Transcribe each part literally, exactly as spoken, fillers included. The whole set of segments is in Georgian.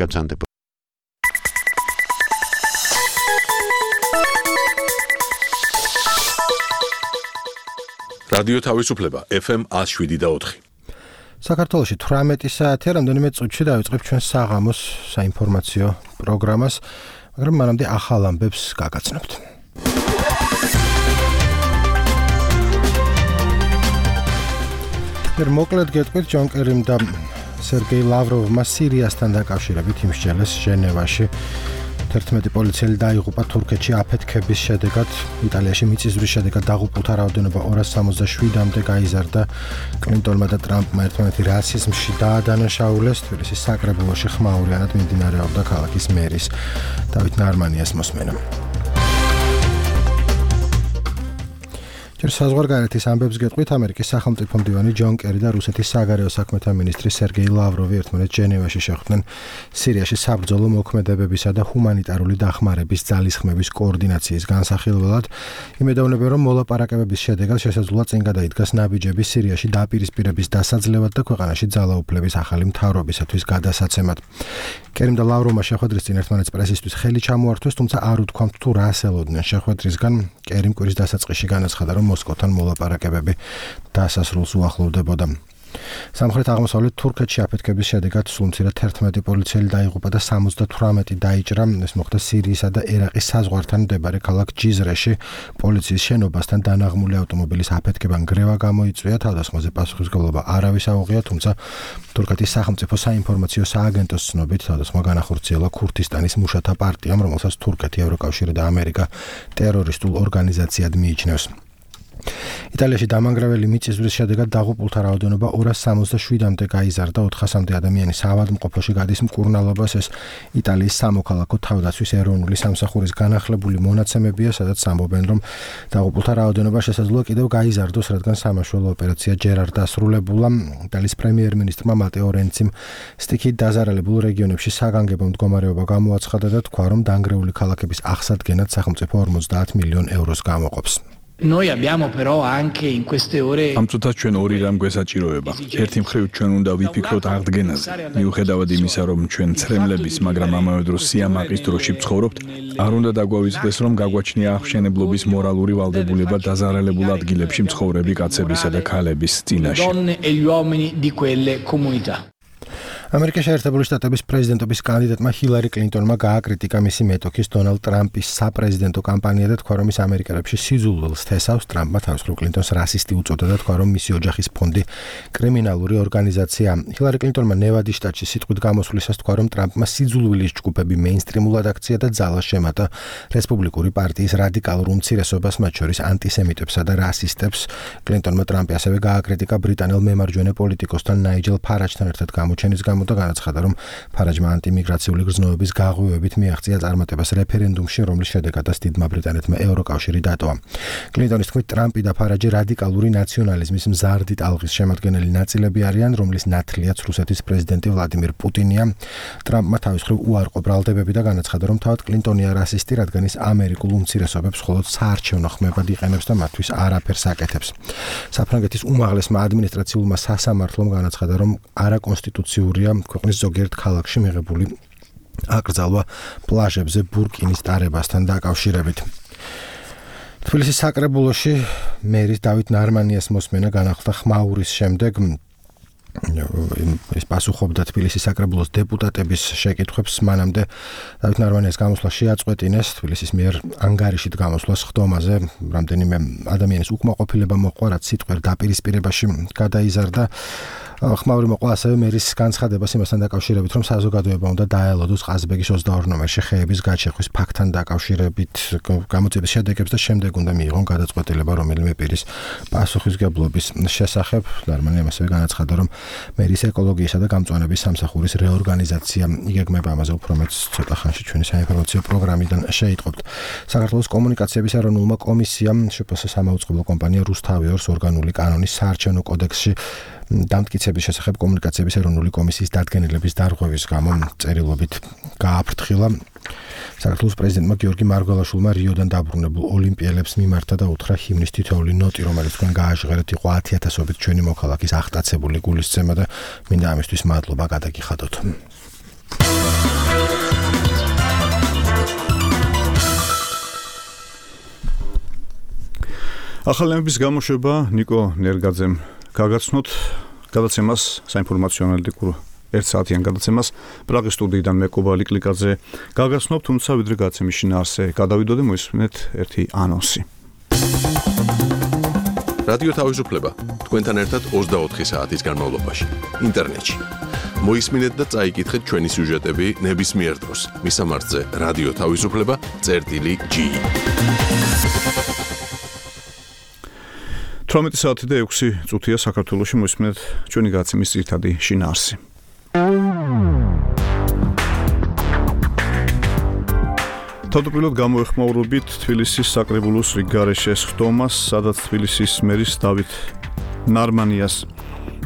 გაბრძანდება. რადიო თავისუფლება ეფ ემ one oh seven და four. საქართველოში თვრამეტი საათია, რამდენიმე წუთში დავიწყებ ჩვენ საღამოს საინფორმაციო პროგრამას, მაგრამ მანამდე ახალ ამბებს გაგაცნობთ. ერთ მოკლედ გეტყვით, ჯონ კერიმ და სერგეი ლავროვმა სირიასთან დაკავშირებით იმსჯელეს ჟენევაში. ერთმეტი პოლიციელი დაიღუპა თურქეთში აფეთქების შედეგად. იტალიაში მიწისძვრის შედეგად დაღუპულთა რაოდენობა ორას სამოცდაშვიდამდე გაიზარდა. კლინტონმა და ტრამპმა ერთმანეთი რასიზმში დაადანაშაულეს. თბილისის საკრებულოში ხმაურიანად მიმდინარეობდა ქალაქის მერის დავით ნარმანიას მოსმენა. ჯერ საზღვარგარეთის ამბებს გეტყვით, ამერიკის სახელმწიფო მდივანი ჯონ კერი და რუსეთის საგარეო საქმეთა მინისტრი სერგეი ლავროვი ერთმანეთს ჟენევაში შეხვდნენ სირიაში საბრძოლო მოქმედებებისა და ჰუმანიტარული დახმარების ძალისხმევის კოორდინაციის განსახილველად. იმედოვნებენ, რომ მოლაპარაკებების შედეგად შესაძლოა წინ გადაიდგას ნაბიჯები სირიაში დაპირისპირების დასაძლევად და ქვეყანაში ძალაუფლების ახალი მთავრობისათვის გადასაცემად. კერიმ და ლავროვმა შეხვედრის წინ ერთმანეთს პრესისთვის ხელი ჩამოართვეს, თუმცა არ უთქვამთ თუ რას ელოდნენ შეხვედრისგან. კერიმ კვირის დასაწყისში განაცხადა, რომ მოსკოვთან მოლაპარაკებები დასასრულს უახლოვდებოდა. სამხრეთ აღმოსავლეთ თურქეთში აფეთქების შედეგად სულ მცირედ ერთმეტი პოლიციელი დაიღუპა და სამოცდათვრამეტი დაიჭრა. ეს მოხდა სირიისა და ერაყის საზღვართან მდებარე ქალაქ ჯიზრეში. პოლიციის შენობასთან დანაღმული ავტომობილის აფეთქება ნგრევა გამოიწვია. თავდასხმაზე პასუხისმგებლობა არავის აუღია, თუმცა თურქეთის სახელმწიფო საინფორმაციო სააგენტოს ცნობით თავდასხმა განახორციელა ქურთისტანის მუშათა პარტიამ, რომელსაც თურქეთი, ევროკავშირი და ამერიკა ტერორისტულ ორგანიზაციად მიიჩნევს. იტალიაში დამანგრეველი მიწისძვრის შედეგად დაღუპულთა რაოდენობა ორას სამოცდაშვიდამდე გაიზარდა. ოთხასამდე ადამიანი საავადმყოფოში გადის მკურნალობას. ეს იტალიის სამოქალაქო თავდაცვის ეროვნული სამსახურის განახლებული მონაცემებია, სადაც ამბობენ, რომ დაღუპულთა რაოდენობა შესაძლოა კიდევ გაიზარდოს, რადგან სამაშველო ოპერაცია ჯერ არ დასრულებულა. იტალიის პრემიერ-მინისტრმა მატეო რენციმ სტიქით დაზარალებულ რეგიონებში საგანგებო მდგომარეობა გამოაცხადა და თქვა, რომ დანგრეული ქალაქების აღსადგენად სახელმწიფო ორმოცდაათ მილიონ ევროს გამოყოფს. Noi abbiamo però anche in queste ore ამ წუთას ჩვენ ორი რამ გვესაჭიროება. ერთი მხრივ ჩვენ უნდა ვიფიქროთ აღდგენაზე. მიუხედავად იმისა, რომ ჩვენ ცრემლების, მაგრამ ამავე დროს სიამაყის დროში ვცხოვრობთ, არ უნდა დაგვავიწყდეს, რომ გაგვაჩნია აღმშენებლობის მორალური ვალდებულება დაზარალებულ ადგილებში მცხოვრები კაცებისა და ქალების წინაშე. ამერიკის შეერთებული შტატების პრეზიდენტობის კანდიდატმა ჰილარი კლინტონმა გააკრიტიკა მისი მეტოქის დონალდ ტრამპის საპრეზიდენტო კამპანია და თქვა, რომ ის ამერიკელებში სიზულვილს თესავს. ტრამპმა თავისუფლ კლინტონს რასისტი უწოდა და თქვა, რომ მისი ოჯახის ფონდი კრიმინალური ორგანიზაცია. ჰილარი კლინტონმა ნევადის შტატში სიტყვით გამოსვლისას თქვა, რომ ტრამპმა სიძულვილის ჯგუფები მეინსტრიმულად აქცია და ძალას შემატა რესპუბლიკური პარტიის რადიკალურ უმცირესობას, მათ შორის ანტისემიტებსა და რასისტებს. კლინტონმა ტრამპი ასევე გააკრიტიკა ბრიტანელ მემარჯვენე პოლიტიკოსთან ნაიჯელ ფარაჯთან ერთად გამოჩენის გამო და განაცხადა, რომ ფარაჯმა ანტიმიგრაციული გრძნობების გაღვივებით მიაღწია წარმატებას რეფერენდუმში, რომლის შედეგადაც დიდმა ბრიტანეთმა ევროკავშირი დატოვა. კლინტონის თქმით, ტრამპი და ფარაჯი რადიკალური ნაციონალიზმის მზარდი ტალღის შემადგენელი ნაწილები არიან, რომლის ნათლიაც რუსეთის პრეზიდენტი ვლადიმირ პუტინია. ტრამპმა თავის მხრივ უარყო ბრალდებები და განაცხადა, რომ თავად კლინტონია რასისტი, რადგან ის ამერიკულ უმცირესობებს მხოლოდ საარჩევნო ხმებად იყენებს და მათთვის არაფერს აკეთებს. საფრანგეთის უმაღლესმა ადმინისტრაციულმა სასამართლომ განაცხადა, რომ არაკონსტიტუციურია ქვეყნის ზოგიერთ ქალაქში მიღებული აკრძალვა პლაჟებზე ბურკინის ტარებასთან დაკავშირებით. თბილისის საკრებულოში მერის დავით ნარმანიას მოსმენა განახლდა ხმაურის შემდეგ. ის პასუხობდა თბილისის საკრებულოს დეპუტატების შეკითხვებს. მანამდე დავით ნარმანიას გამოსვლა შეაწყვეტინეს თბილისის მიერ ანგარიშით გამოსვლას ხდომაზე. რამდენიმე ადამიანის უკმაყოფილება მოყვა, რაც სიტყვიერ დაპირისპირებაში გადაიზარდა. ხმაური მოყვა ასევე მერის განცხადებას იმასთან დაკავშირებით, რომ საზოგადოება უნდა დაელოდოს ყაზბეგის ოცდაორ ნომერში ხეების გაჩეხვის ფაქტთან დაკავშირებით გამოძიების შედეგებს და შემდეგ უნდა მიიღონ გადაწყვეტილება რომელიმე პირის პასუხისმგებლობის შესახებ. ნარმანიამ ასევე განაცხადა, რომ მერის ეკოლოგიისა და გამწვანების სამსახურის რეორგანიზაცია იგეგმება. ამაზე უფრო მეტ ცოტა ხანში ჩვენი საინფორმაციო პროგრამიდან შეიტყობთ. საქართველოს კომუნიკაციების ეროვნულმა კომისიამ შპს სამაუწყებლო კომპანია რუსთავიორს ორგანული კანონის საარჩევნო კოდექსში დამტკიცების შესახებ კომუნიკაციების ეროვნული კომისიის დადგენილების დარღვევის გამო წერილობით გააფრთხილა. საქართველოს პრეზიდენტმა გიორგი მარგველაშვილმა რიოდან დაბრუნებულ ოლიმპიელებს მიმართა და უთხრა ჰიმნის თითოეული ნოტი, რომელიც თქვენ გააჟღერეთ, იყო ათი ათასობით ჩვენი მოქალაქის აღტაცებული გულისცემა და მინდა ამისთვის მადლობა გადაგიხადოთ. ახალების გამოშვება ნიკო ნერგაძემ გაგაცნოთ გადაცემას საინფორმაციო ანალიტიკურ ერთ საათიან გადაცემას პრაღის სტუდიიდან მე კობალი კლიკაძე გაგაცნობ, თუმცა ვიდრე გადაცემის შინაარსზე გადავიდოდე, მოისმინეთ ერთი ანონსი. რადიო თავისუფლება თქვენთან ერთად ოცდაოთხი საათის განმავლობაში ინტერნეტში. მოისმინეთ და წაიკითხეთ ჩვენი სიუჟეტები ნებისმიერ დროს. მისამართზე რადიო თავისუფლება წერტილი ჯი. თვრამეტი საათი და ექვსი წუთია საქართველოში, მოისმინეთ ჩვენი გადაცემის ძირითადი შინაარსი. თავდაპირველად გამოეხმაურებით თბილისის საკრებულოს რიგ გარეშეს ხდომას, სადაც თბილისის მერის დავით ნარმანიას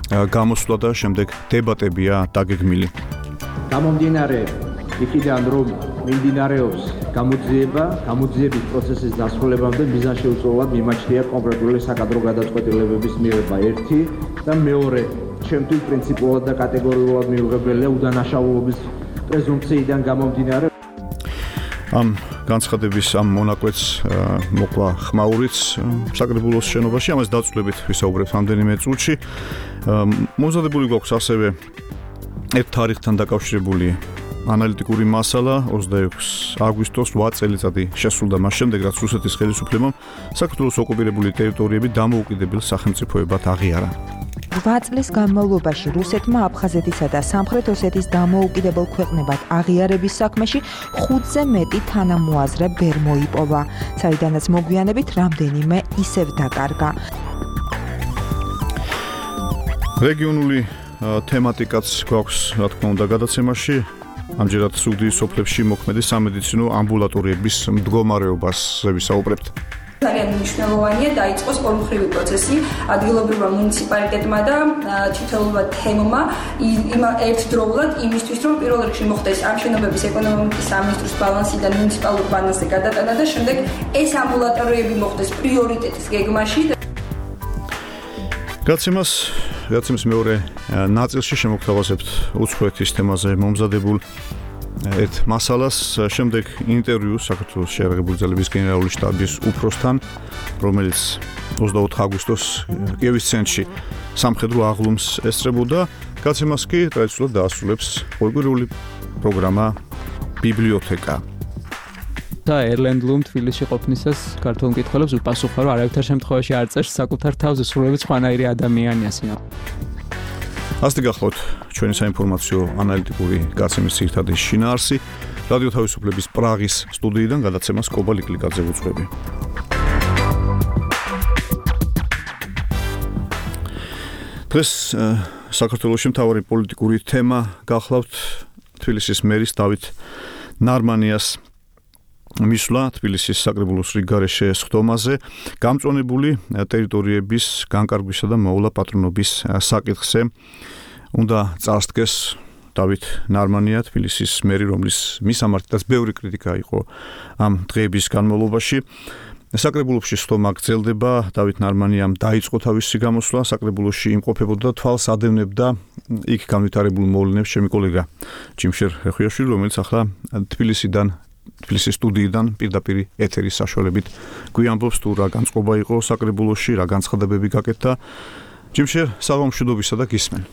გამოსვლა და შემდეგ დებატებია დაგეგმილი. გამომდინარე იქიდან, რომ მიმდინარეობს გამოძიება, გამოძიების პროცესის დასრულებამდე მიზანშეუწმებლად მიმაჩნია კონკრეტული საკადრო გადაწყვეტილებების მიღება ერთი და მეორე, ჩემთვის პრინციპულად და კატეგორიულად მიუღებელია უდანაშაულობის პრეზუმპციიდან გამომდინარე. ამ განცხადების ამ მონაკვეთს მოკლა ხმაურიც საკრებულოს შენობაში, ამას დაწვრილებით ვისაუბრებთ რამდენიმე წუთში. მომზადებული გვაქვს ასევე ერთ თარიღთან დაკავშირებული ანალიტიკური მასალა ოცდაექვსი აგვისტოს რვა წელიწადი შესრულდა მას შემდეგ, რაც რუსეთის ხელისუფლებამ საქართველოს ოკუპირებული ტერიტორიები დამოუკიდებელ სახელმწიფოებად აღიარა. რვა წლის განმავლობაში რუსეთმა აფხაზეთისა და სამხრეთ ოსეთის დამოუკიდებელ ქვეყნებად აღიარების საქმეში ხუთზე მეტი თანამოაზრე ვერ მოიპოვა, საიდანაც მოგვიანებით რამდენიმე ისევ დაკარგა. რეგიონული თემატიკაც გვაქვს, რა თქმა უნდა, გადაცემაში. ამჯერად სუგდიის სოფლებში მოქმედი სამედიცინო ამბულატორიების მდგომარეობაზე ვისაუბრებთ. ძალიან მნიშვნელოვანია დაიწყოს ორმხრივი პროცესი ადგილობრივმა მუნიციპალიტეტმა და თითოეულმა თემმა ერთდროულად იმისთვის, რომ პირველ რიგში მოხდეს ამ შენობების ეკონომიკის სამინისტროს ბალანსიდან მუნიციპალურ ბალანსზე გადატანა და შემდეგ ეს ამბულატორიები მოხდეს პრიორიტეტის გეგმაში. გადაცემას გადაცემის მეორე ნაწილში შემოგთავაზებთ უცხოეთის თემაზე მომზადებულ ერთ მასალას, შემდეგ ინტერვიუ საქართველოს შეიარაღებული ძალების გენერალური შტაბის უფროსთან, რომელიც ოცდაოთხი აგვისტოს კიევის ცენტრში სამხედრო აღლუმს ესწრებოდა. გადაცემას კი ტრადიციულად დაასრულებს ორგვარული პროგრამა ბიბლიოთეკა. და ერლენდლუმ თბილისში ყოფნისას ქართულ მკითხველებს უპასუხა, რომ არავითარ შემთხვევაში არ წერს საკუთარ თავზე, სრულებით სხვანაირი ადამიანია სინა. ასეთი გახლავთ ჩვენი საინფორმაციო ანალიტიკური გადაცემის ძირითადი შინაარსი. რადიო თავისუფლების პრაღის სტუდიიდან გადაცემას კობალი კლიკაძე უძღვები. დღეს საქართველოში მთავარი პოლიტიკური თემა გახლავთ თბილისის მერის დავით ნარმანიას მისვლა თბილისის საკრებულოს რიგ გარეშე ხდომაზე, გამწვანებული ტერიტორიების განკარგვისა და მოვლა პატრონობის საკითხზე უნდა წარსდგეს დავით ნარმანია, თბილისის მერი, რომლის მისამართითაც ბევრი კრიტიკა იყო ამ დღეების განმავლობაში. საკრებულოში ხდომა გრძელდება, დავით ნარმანიამ დაიწყო თავისი გამოსვლა, საკრებულოში იმყოფებოდა და თვალს ადევნებდა იქ განვითარებულ მოვლენებს ჩემი კოლეგა ჯიმშერ ხეხვიაშვილი, რომელიც ახლა თბილისიდან თბილისის სტუდიიდან პირდაპირ ეთერის საშუალებით გვიამბობს თუ რა განწყობა იყო საკრებულოში, რა განცხადებები გაკეთდა. ჯიმშერ, საღამოშუდობისა და გისმენ.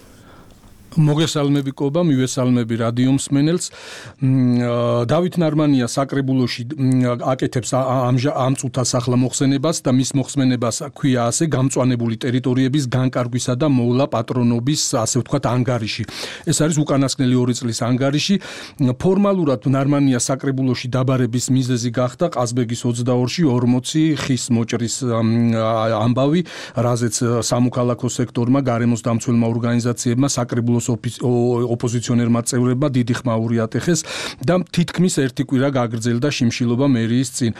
მოგესალმები კობა, მივესალმები რადიო მსმენელს. დავით ნარმანია საკრებულოში აკეთებს ამ წუთას ახლა მოხსენებას და მის მოხსენებას ქვია ასე გამწვანებული ტერიტორიების განკარგვისა და მოვლა პატრონობის, ასე ვთქვათ, ანგარიში. ეს არის უკანასკნელი ორი წლის ანგარიში. ფორმალურად ნარმანია საკრებულოში დაბარების მიზეზი გახდა ყაზბეგის ოცდაორში ორმოცი ხის მოჭრის ამბავი, რაზეც სამოქალაქო სექტორმა, გარემოს დამცველმა ორგანიზაციებმა საკრებულოს ოპოზიციონერმა წევრებმა დიდი ხმაური ატეხეს და თითქმის ერთი კვირა გაგრძელდა შიმშილობა მერიის წინ.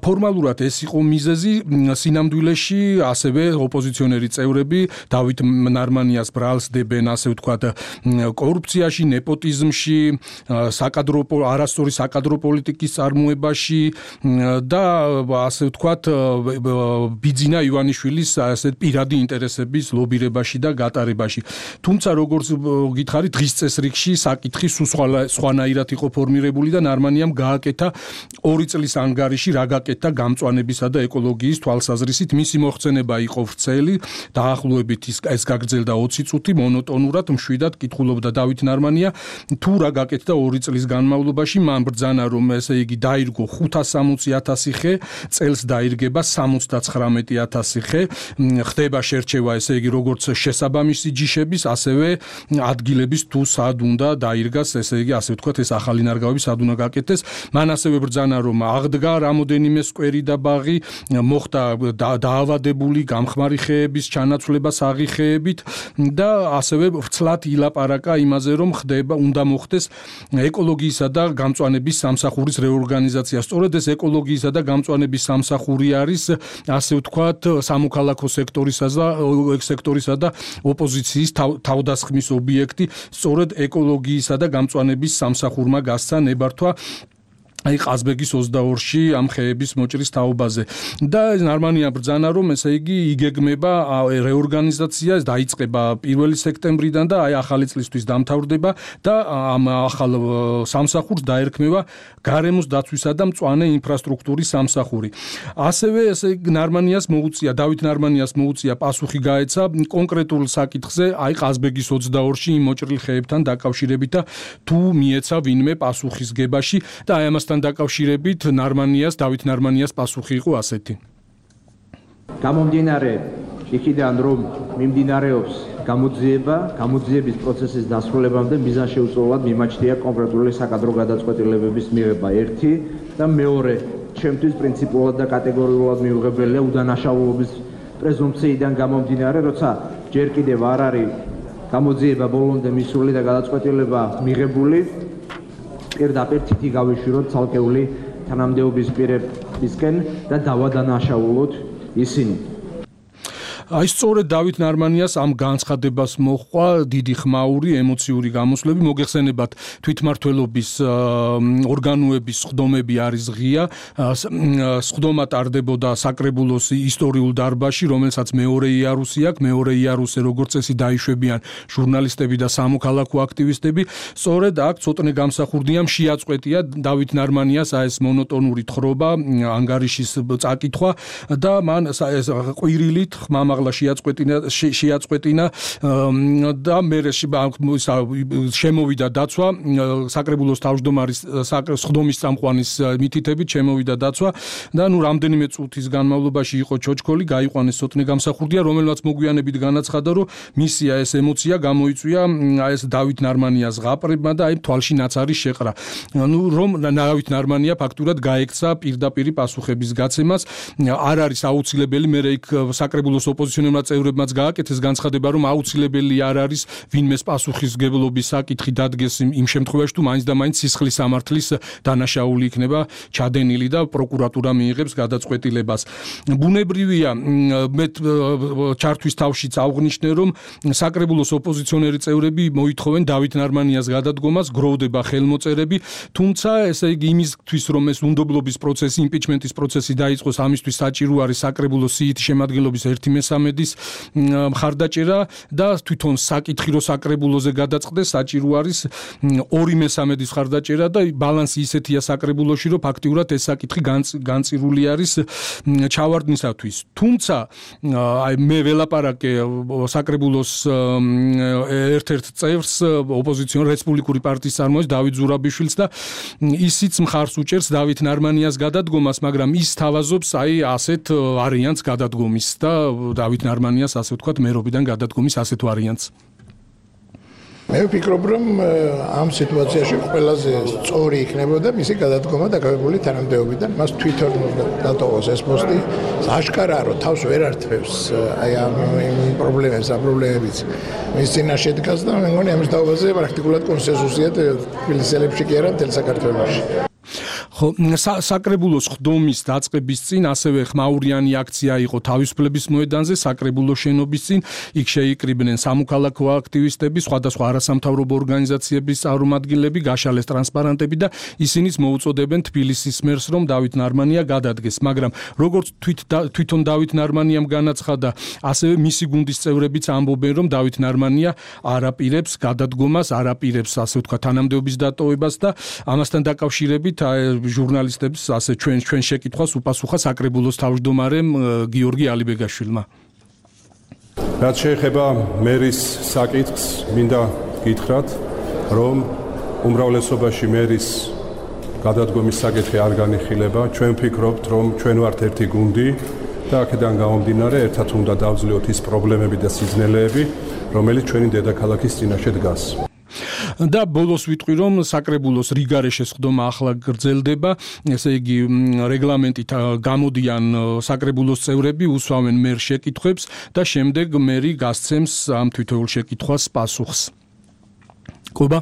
ფორმალურად ეს იყო მიზეზი, სინამდვილეში ასევე ოპოზიციონერი წევრები დავით ნარმანიას ბრალს დებენ, ასე ვთქვათ, კორუფციაში, ნეპოტიზმში, საკადრო არასწორი საკადრო პოლიტიკის წარმოებაში და ასე ვთქვათ, ბიძინა ივანიშვილის ასე პირადი ინტერესების ლობირებაში და გატარებაში. თუმცა როგორც როგორც გითხარი დღის წესრიგში საკითხი სულ სხვანაირად იყო ფორმირებული და ნარმანიამ გააკეთა ორი წლის ანგარიში რა გაკეთდა გამწვანებისა და ეკოლოგიის თვალსაზრისით. მისი მოხსენება იყო ვრცელი, დაახლოებით ეს გაგრძელდა ოცი წუთი, მონოტონურად მშვიდად კითხულობდა დავით ნარმანია თუ რა გაკეთდა ორი წლის განმავლობაში. მან ბრძანა რომ ესე იგი დაირგო ხუთას სამოცი ათასი ხე, წელს დაირგება სამოცდაცხრამეტი ათასი ხე, ხდება შერჩევა ესე იგი როგორც შესაბამისი ჯიშების, ასევე ადგილების თუ სად უნდა დაირგას, ესე იგი ასე ვთქვათ, ეს ახალი ნარგავები სად უნდა გაკეთდეს. მან ასევე ბრძანა რომ აღდგა რამოდენიმე სკვერი და ბაღი, მოხდა დაავადებული გამხმარი ხეების ჩანაცვლება საღი ხეებით და ასევე ვცლად ილაპარაკა იმაზე რომ ხდება უნდა მოხდეს ეკოლოგიისა და გამწვანების სამსახურის რეორგანიზაცია. სწორედ ეს ეკოლოგიისა და გამწვანების სამსახური არის ასე ვთქვათ სამოქალაქო სექტორისა და სექტორისა და ოპოზიციის თავდასხმის ობიექტი. სწორედ ეკოლოგიისა და გამწვანების სამსახურმა გასცა ნებართვა აი ყაზბეგის ოცდაორში ამ ხეების მოჭრის თაობაზე და ნარმანია ბრძანა რომ ესე იგი იგეგმება რეორგანიზაცია, დაიწყება პირველი სექტემბრიდან და აი ახალი წლისთვის დამთავრდება და ამ ახალ სამსახურს დაერქმევა გარემოს დაცვისა და მწვანე ინფრასტრუქტურის სამსახური. ასევე ესე იგი ნარმანიას მოუწია, დავით ნარმანიას მოუწია პასუხი გაეცა კონკრეტულ საკითხზე, აი ყაზბეგის ოცდაორში იმ მოჭრილ ხეებთან დაკავშირებით და თუ მიეცა ვინმე პასუხისგებაში და აი ამასთან დაკავშირებით ნარმანიას, დავით ნარმანიას პასუხი იყო ასეთი. გამომდინარე იქიდან რომ მიმდინარეობს გამოძიება, გამოძიების პროცესის დასრულებამდე მიზანშეუწლებლად მიმაჩნია კონკრეტული საკადრო გადაწყვეტილებების მიღება ერთი და მეორე, ჩემთვის პრინციპულად და კატეგორიულად მიუღებელია უდანაშაულობის პრეზუმპციიდან გამომდინარე, როცა ჯერ კიდევ არ არის გამოძიება ბოლომდე მისული და გადაწყვეტილება მიღებული, პირდაპირ თითი გავიშვიროთ ცალკეული თანამდებობის პირებისკენ და დავადანაშაულოთ ისინი. აი სწორედ დავით ნარმანიას ამ განცხადებას მოჰყვა დიდი ხმაური ემოციური გამოსვლები. მოგეხსენებათ თვითმმართველობის ორგანოების სხდომები არის ღია. სხდომა ტარდებოდა საკრებულოს ისტორიულ დარბაზში, რომელსაც მეორე იარუსი აქვს. მეორე იარუსზე როგორც წესი დაიშვებიან ჟურნალისტები და სამოქალაქო აქტივისტები. სწორედ აქ ცოტნე გამსახურდია შეაწყვეტია დავით ნარმანიას აი ეს მონოტონური თხრობა, ანგარიშის წაკითხვა და მან ეს ყვირილით ხმამა შეაწყვეტინა შეაწყვეტინა და მე შემოვიდა დაცვა საკრებულოს თავმჯდომარის სხდომის წამყვანის მითითებით შემოვიდა დაცვა და ნუ რამდენიმე წუთის განმავლობაში იყო ჩოჩქოლი, გაიყვანეს ცოტნე გამსახურდია, რომელმაც მოგვიანებით განაცხადა, რომ მისია ეს ემოცია გამოიწვია აი ეს დავით ნარმანიას ღაპრებმა და აი თვალში ნაცარი შეყრა. ნუ რომ დავით ნარმანია ფაქტურად გაექცა პირდაპირ პასუხების გაცემას, არ არის აუცილებელი მე იქ საკრებულოს ოპოზიციონერმა წევრებმაც გააკეთეს განცხადება, რომ აუცილებელი არ არის ვინმეს პასუხისმგებლობის საკითხი დადგეს იმ შემთხვევაში, თუ მაინც და მაინც სისხლის სამართლის დანაშაული იქნება ჩადენილი და პროკურატურა მიიღებს გადაწყვეტილებას. ბუნებრივია, მე ჩართვის თავშიც აღვნიშნე, რომ საკრებულოს ოპოზიციონერი წევრები მოითხოვენ დავით ნარმანიას გადადგომას, გროვდება ხელმოწერები, თუმცა ესე იგი იმისთვის, რომ ეს უნდობლობის პროცესი, იმპიჩმენტის პროცესი დაიწყოს, ამისთვის საჭირო არის საკრებულოს სიითი შემადგენლობის ერთი მესამედის მხარდაჭერა და თვითონ საკითხი რო საკრებულოზე გადაწყდეს, საჭირო არის ორი მესამედის მხარდაჭერა და ბალანსი ისეთია საკრებულოში, რომ ფაქტიურად ეს საკითხი განწირული არის ჩავარდნისათვის. თუმცა აი მე ველაპარაკე საკრებულოს ერთ-ერთ წევრს, ოპოზიციონერ რესპუბლიკური პარტიის წარმოადგენს დავით ზურაბიშვილს და ისიც მხარს უჭერს დავით ნარმანიას გადადგომას, მაგრამ ის თავაზობს აი ასეთ ვარიანტს გადადგომის და დავით ნარმანიას ასე ვთქვათ მერობიდან გადადგომის ასეთ ვარიანტს. მე ვფიქრობ, რომ ამ სიტუაციაში ყველაზე სწორი იქნებოდა მისი გადადგომა დაკავებული თანამდებობიდან, მას თვითონ დატოვოს ეს პოსტი, აშკარაა, რომ თავს ვერ ართმევს აი ამ პრობლემებს, ამ პრობლემებიც მის წინაშე დგას და მე მგონი ამის დაობაზე პრაქტიკულად კონსენსუსია თბილისელებში კი არა, მთელ საქართველოში. ხო, საკრებულოს ხდომის დაწყების წინ ასევე ხმაურიანი აქცია იყო თავისუფლების მოედანზე, საკრებულოს შენობის წინ. იქ შეიკრიბნენ სამოქალაქო აქტივისტები, სხვადასხვა არასამთავრობო ორგანიზაციების წარმომადგენლები, გაშალეს ტრანსპარანტები და ისინიც მოუწოდებენ თბილისის მერს, რომ დავით ნარმანია გადადგეს. მაგრამ როგორც თვითონ დავით ნარმანიამ განაცხადა, ასევე მისი გუნდის წევრებიც ამბობენ, რომ დავით ნარმანია არ აპირებს გადადგომას, არ აპირებს ასე ვთქვათ თანამდებობის დატოვებას და ამასთან დაკავშირებით ჟურნალისტებს ასე ჩვენ ჩვენ შეკითხვას უპასუხა საკრებულოს თავმჯდომარემ გიორგი ალიბეგაშვილმა. რაც შეეხება მერის საკითხს, მინდა გითხრათ, რომ უმრავლესობაში მერის გადადგომის საკითხი არ განიხილება. ჩვენ ვფიქრობთ, რომ ჩვენ ვართ ერთი გუნდი და აქედან გამომდინარე ერთად უნდა დავძლიოთ ის პრობლემები და სიძნელეები, რომელიც ჩვენი დედაქალაქის წინაშე დგას. და ბოლოს ვიტყვი, რომ საკრებულოს რიგარეშე ხდომა ახლა გრძელდება, ესე იგი რეგლამენტით გამოდიან საკრებულოს წევრები, უსვამენ მერ შეკითხვებს და შემდეგ მერი გასცემს ამ თვითოეულ შეკითხვას პასუხს. კობა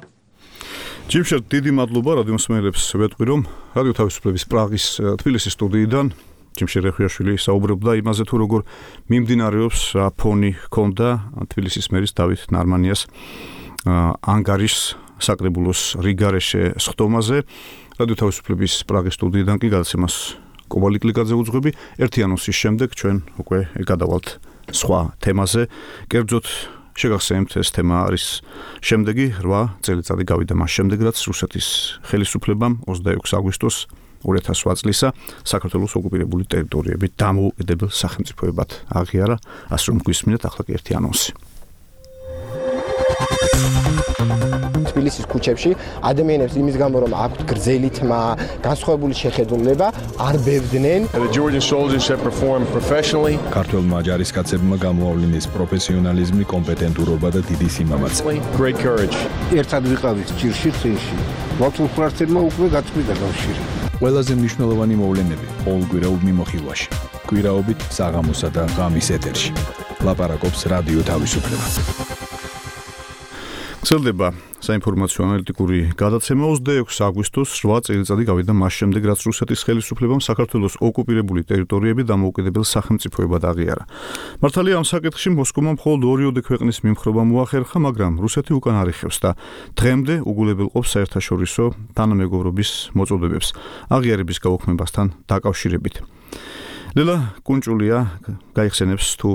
ჯიმშერტ, დიდი მადლობა რადიო მსმენელებს. ვეტყვი, რომ რადიო თავისუფლების პრაღის თბილისის სტუდიიდან ჯიმშერტ რეხვიაშვილი საუბრობდა იმაზე, თუ როგორ მიმდინარეობს ფონი ჰქონდა თბილისის მერის დავით ნარმანიას ანგარიშს საკრებულოს რიგარეშე სხდომაზე. რადიო თავისუფლების პრაღის სტუდიიდან კი გადაცემას კობალი კლიკაძე უძღვები. ერთი ანონსის შემდეგ ჩვენ უკვე გადავალთ სხვა თემაზე. კერძოდ შეგახსენებთ, ეს თემა არის შემდეგი რვა წელიწადი გავიდა მას შემდეგ, რაც რუსეთის ხელისუფლებამ ოცდაექვსი აგვისტოს ორი ათას ოთხ წლისა საქართველოს ოკუპირებული ტერიტორიები დამოუკიდებელ სახელმწიფოებად აღიარა. ასე რომ გვისმინეთ ახლა კი ერთი ანონსი. თბილისის ქუჩებში ადამიანებს იმის გამო რომ აქვთ გრძელი თმა, განსხვავებული შეხედულება, არ ბევდნენ. The Georgian soldiers have performed professionally. ქართველმა ჯარისკაცებმა გამოავლინეს პროფესიონალიზმი, კომპეტენტურობა და დიდი სიმამაცე. Great courage. ერთად ვიყავით ჭირში წინში. ლათულფრარცებმა უკვე გაწყვიტა კავშირი. ყველაზე მნიშვნელოვანი მოვლენები ყოველ კვირაულ მიმოხილვაში. კვირაობით საღამოსა და ღამის ეთერში. ლაპარაკობს რადიო თავისუფლება. გრძელდება საინფორმაციო ანალიტიკური გადაცემა ოცდაექვსი აგვისტოს რვა წელიწადი გავიდა მას შემდეგ, რაც რუსეთის ხელისუფლებამ საქართველოს ოკუპირებული ტერიტორიები დამოუკიდებელ სახელმწიფოებად აღიარა. მართალია ამ საკითხში მოსკოვმა მხოლოდ ორიოდე ქვეყნის მიმხრობა მოახერხა, მაგრამ რუსეთი უკან არ იხევს და დღემდე უგულებელყოფს საერთაშორისო თანამეგობრობის მოწოდებებს აღიარების გაუქმებასთან დაკავშირებით. ლელა კუნჭულია გაიხსენებს თუ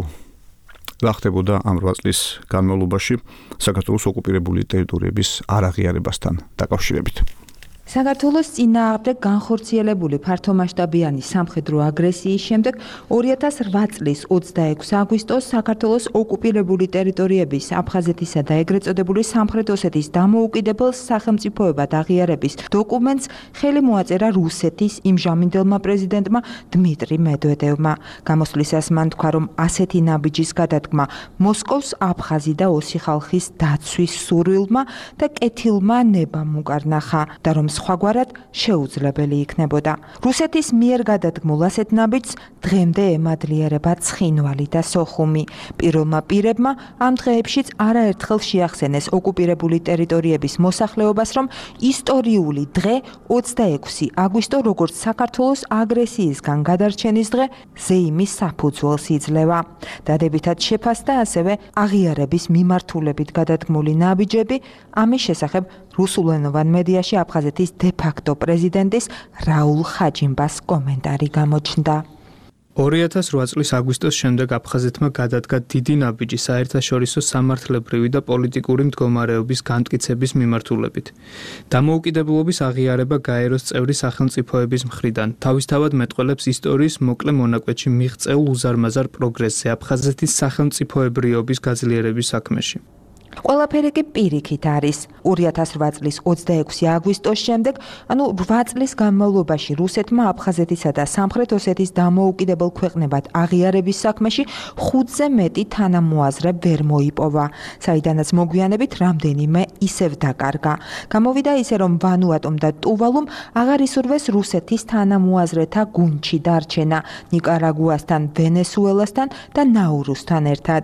რა ხდებოდა ამ რვა წლის განმავლობაში საქართველოს ოკუპირებული ტერიტორიების არაღიარებასთან დაკავშირებით. საქართველოს წინააღმდეგ განხორციელებული ფართომასშტაბიანი სამხედრო აგრესიის შემდეგ ორი ათას რვა წლის ოცდაექვსი აგვისტოს საქართველოს ოკუპირებული ტერიტორიების აფხაზეთისა და ეგრეთ წოდებული სამხრეთ ოსეთის დამოუკიდებელ სახელმწიფოებად აღიარების დოკუმენტს ხელი მოაწერა რუსეთის იმჟამინდელმა პრეზიდენტმა დმიტრი მედვედევმა. გამოსვლისას მან თქვა, რომ ასეთი ნაბიჯის გადადგმა მოსკოვს აფხაზი და ოსი ხალხის დაცვის სურვილმა და კეთილმა ნებამ უკარნახა და რომ სხვაგვარად შეუძლებელი იქნებოდა. რუსეთის მიერ გადადგმულ ასეთ ნაბიჯს დღემდე ემადლიერება ცხინვალი და სოხუმი. პირველმა პირებმა ამ დღეებშიც არაერთხელ შეახსენეს ოკუპირებული ტერიტორიების მოსახლეობას, რომ ისტორიული დღე ოცდაექვსი აგვისტო როგორც საქართველოს აგრესიისგან გადარჩენის დღე ზეიმის საფუძველს იძლევა. დადებითად შეფასდა ასევე აღიარების მიმართულებით გადადგმული ნაბიჯები, ამის შესახებ რუსულენოვან მედიაში აფხაზეთის დე-ფაქტო პრეზიდენტის რაულ ხაჯიმბას კომენტარი გამოჩნდა. ორი ათას რვა წლის აგვისტოს შემდეგ აფხაზეთმა გადადგა დიდი ნაბიჯი საერთაშორისო სამართლებრივი და პოლიტიკური მდგომარეობის განმტკიცების მიმართულებით. დამოუკიდებლობის აღიარება გაეროს წევრი სახელმწიფოების მხრიდან თავისთავად მეტყველებს ისტორიის მოკლე მონაკვეთში მიღწეულ უზარმაზარ პროგრესზე აფხაზეთის სახელმწიფოებრიობის გაძლიერების საქმეში. ყველაფერი კი პირიქით არის. ორი ათას რვა წლის ოცდაექვსი აგვისტოს შემდეგ, ანუ რვა წლის განმავლობაში რუსეთმა აფხაზეთისა და სამხრეთ ოსეთის დამოუკიდებელ ქვეყნებად აღიარების საქმეში ხუთზე მეტი თანამოაზრე ვერ მოიპოვა, საიდანაც მოგვიანებით რამდენიმე ისევ დაკარგა. გამოვიდა ისე, რომ ვანუატუმ და ტუვალუმ აღარ ისურვეს რუსეთის თანამოაზრეთა გუნდში დარჩენა ნიკარაგუასთან, ვენესუელასთან და ნაურუსთან ერთად.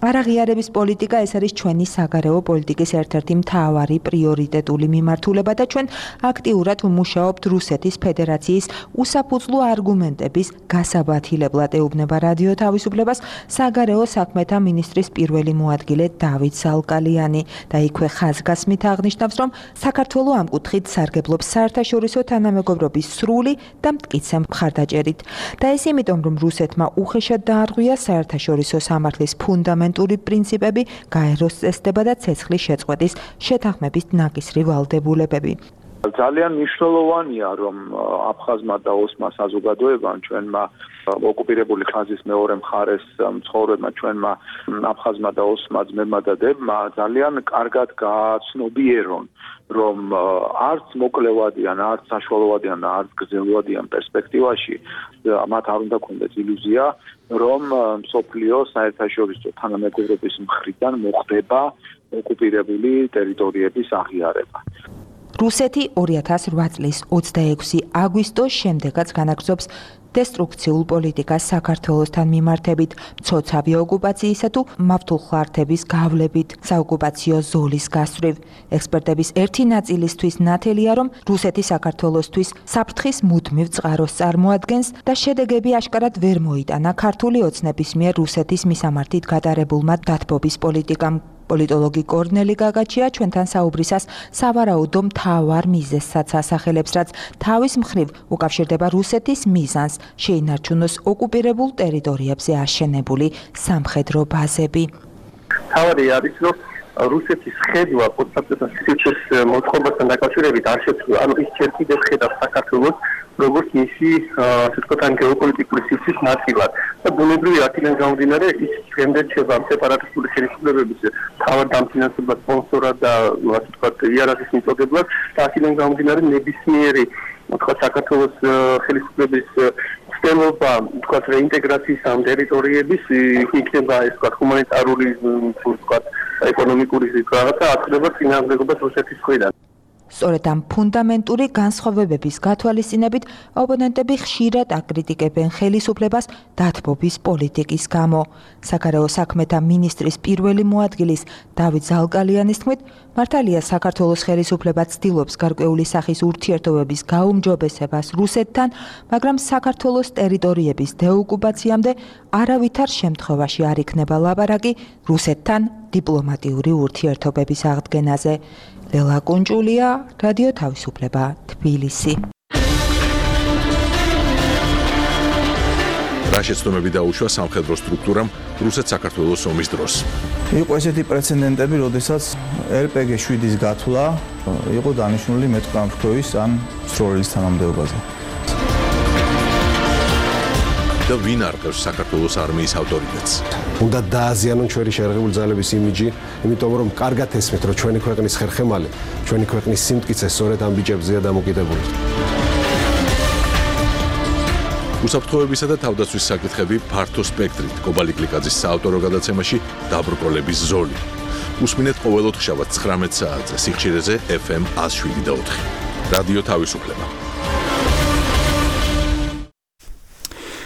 არაღიარების პოლიტიკა ეს არის ჩვენი საგარეო პოლიტიკის ერთ-ერთი მთავარი პრიორიტეტული მიმართულება და ჩვენ აქტიურად ვმუშაობთ რუსეთის ფედერაციის უსაფუძვლო არგუმენტების გასაბათილებლად, ეუბნება რადიო თავისუფლებას საგარეო საქმეთა მინისტრის პირველი მოადგილე დავით ზალკალიანი და იქვე ხაზგასმით აღნიშნავს, რომ საქართველო ამ კუთხით სარგებლობს საერთაშორისო თანამეგობრობის სრული და მტკიცე მხარდაჭერით. და ეს იმიტომ, რომ რუსეთმა უხეშად დაარღვია საერთაშორისო სამართლის ფუნდამენტური პრინციპები, გაეროს წესდება და ცეცხლის შეწყვეტის შეთანხმების ნაკისრი ვალდებულებები. ძალიან მნიშვნელოვანია, რომ აფხაზმა და ოსმა საზოგადოებამ ჩვენმა ოკუპირებული ხაზის მეორე მხარეს მცხოვრებმა ჩვენმა აფხაზმა და ოსმა ძმებმა და დებმა ძალიან კარგად გააცნობიერონ, რომ არც მოკლევადიან, არც საშუალოვადიან და არც გრძელვადიან პერსპექტივაში მათ არ უნდა ქონდეს ილუზია, რომ მსოფლიო საერთაშორისო თანამეგობრობის მხრიდან მოხდება ოკუპირებული ტერიტორიების აღიარება. რუსეთი ორი ათას რვა წლის ოცდაექვსი აგვისტოს შემდეგაც განაგრძობს დესტრუქციულ პოლიტიკას საქართველოსთან მიმართებით, მცოცავი ოკუპაციისა თუ მავთულხლართების გავლებით, საოკუპაციო ზოლის გასწვრივ. ექსპერტების ერთი ნაწილისთვის ნათელია, რომ რუსეთი საქართველოსთვის საფრთხის მუდმივ წყაროს წარმოადგენს და შედეგები აშკარად ვერ მოიტანა ქართული ოცნების მიერ რუსეთის მისამართით გატარებულმა დათბობის პოლიტიკამ. პოლიტოლოგი კორნელი გაგაჩია ჩვენთან საუბრისას სავარაუდო მთავარ მიზეზსაც ასახელებს, რაც თავის მხრივ უკავშირდება რუსეთის მიზანს შეინარჩუნოს ოკუპირებულ ტერიტორიებზე აშენებული სამხედრო ბაზები. თავი არის, რომ რუსეთის ხედვა პოსტსაბჭოთა სივრცის მოწყობასთან დაკავშირებით არ შეცვლა, ანუ ის ჯერ კიდევ ხედავს საქართველოს როგორც მისი ასე ვთქვათ ან გეოპოლიტიკური სივრცის ნაწილად და ბუნებრივი აქედან გამომდინარე ის დღემდე რჩება სეპარატისტული ხელისუფლებების თავად დამფინანსებლად, სპონსორად და ასე ვთქვათ იარაღის მიწოდებლად და აქედან გამომდინარე ნებისმიერი ვთქვათ საქართველოს ხელისუფლების ცდილობა ვთქვათ რეინტეგრაციის ამ ტერიტორიების იქნება ეს ვთქვათ ჰუმანიტარული ვთქვათ ეკონომიკური რაღაცა აწდება წინააღმდეგობას რუსეთის მხრიდან. სწორედ ამ ფუნდამენტური განსხვავებების გათვალისწინებით ოპონენტები ხშირად აკრიტიკებენ ხელისუფლებას დათბობის პოლიტიკის გამო. საგარეო საქმეთა მინისტრის პირველი მოადგილის დავით ზალკალიანის თქმით, მართალია საქართველოს ხელისუფლება ცდილობს გარკვეული სახის ურთიერთობების გაუმჯობესებას რუსეთთან, მაგრამ საქართველოს ტერიტორიების დეოკუპაციამდე არავითარ შემთხვევაში არ იქნება ლაპარაკი რუსეთთან დიპლომატიური ურთიერთობების აღდგენაზე. ლელა კუნჭულია, რადიო თავისუფლება, თბილისი. რა შეცდომები დაუშვა სამხედრო სტრუქტურამ რუსეთ-საქართველოს ომის დროს? იყო ესეთი პრეცედენტები, როდესაც ელ პე გი შვიდის გათვლა იყო დანიშნული მეტყამფრქვევის ან სროლის თანამდებობაზე. და ვინ არყევს საქართველოს არმიის ავტორიტეტს? უნდა დააზიანონ ჩვენი შეერაღებული ძალების იმიჯი, იმიტომ რომ კარგად ესმით, რომ ჩვენი ქვეყნის ხერხემალი, ჩვენი ქვეყნის სიმტკიცე სწორედ ამ ბიჭებზეა დამოკიდებული. უსაფრთხოებისა და თავდაცვის საკითხები ფართო სპექტრით კობალი კლიკაძის საავტორო გადაცემაში დაბრკოლების ზოლი. უსმინეთ ყოველოთხშაბათ ცხრამეტ საათზე სიხშირეზე ეფ ემ ათას შვიდი და ოთხი. რადიო თავისუფლება.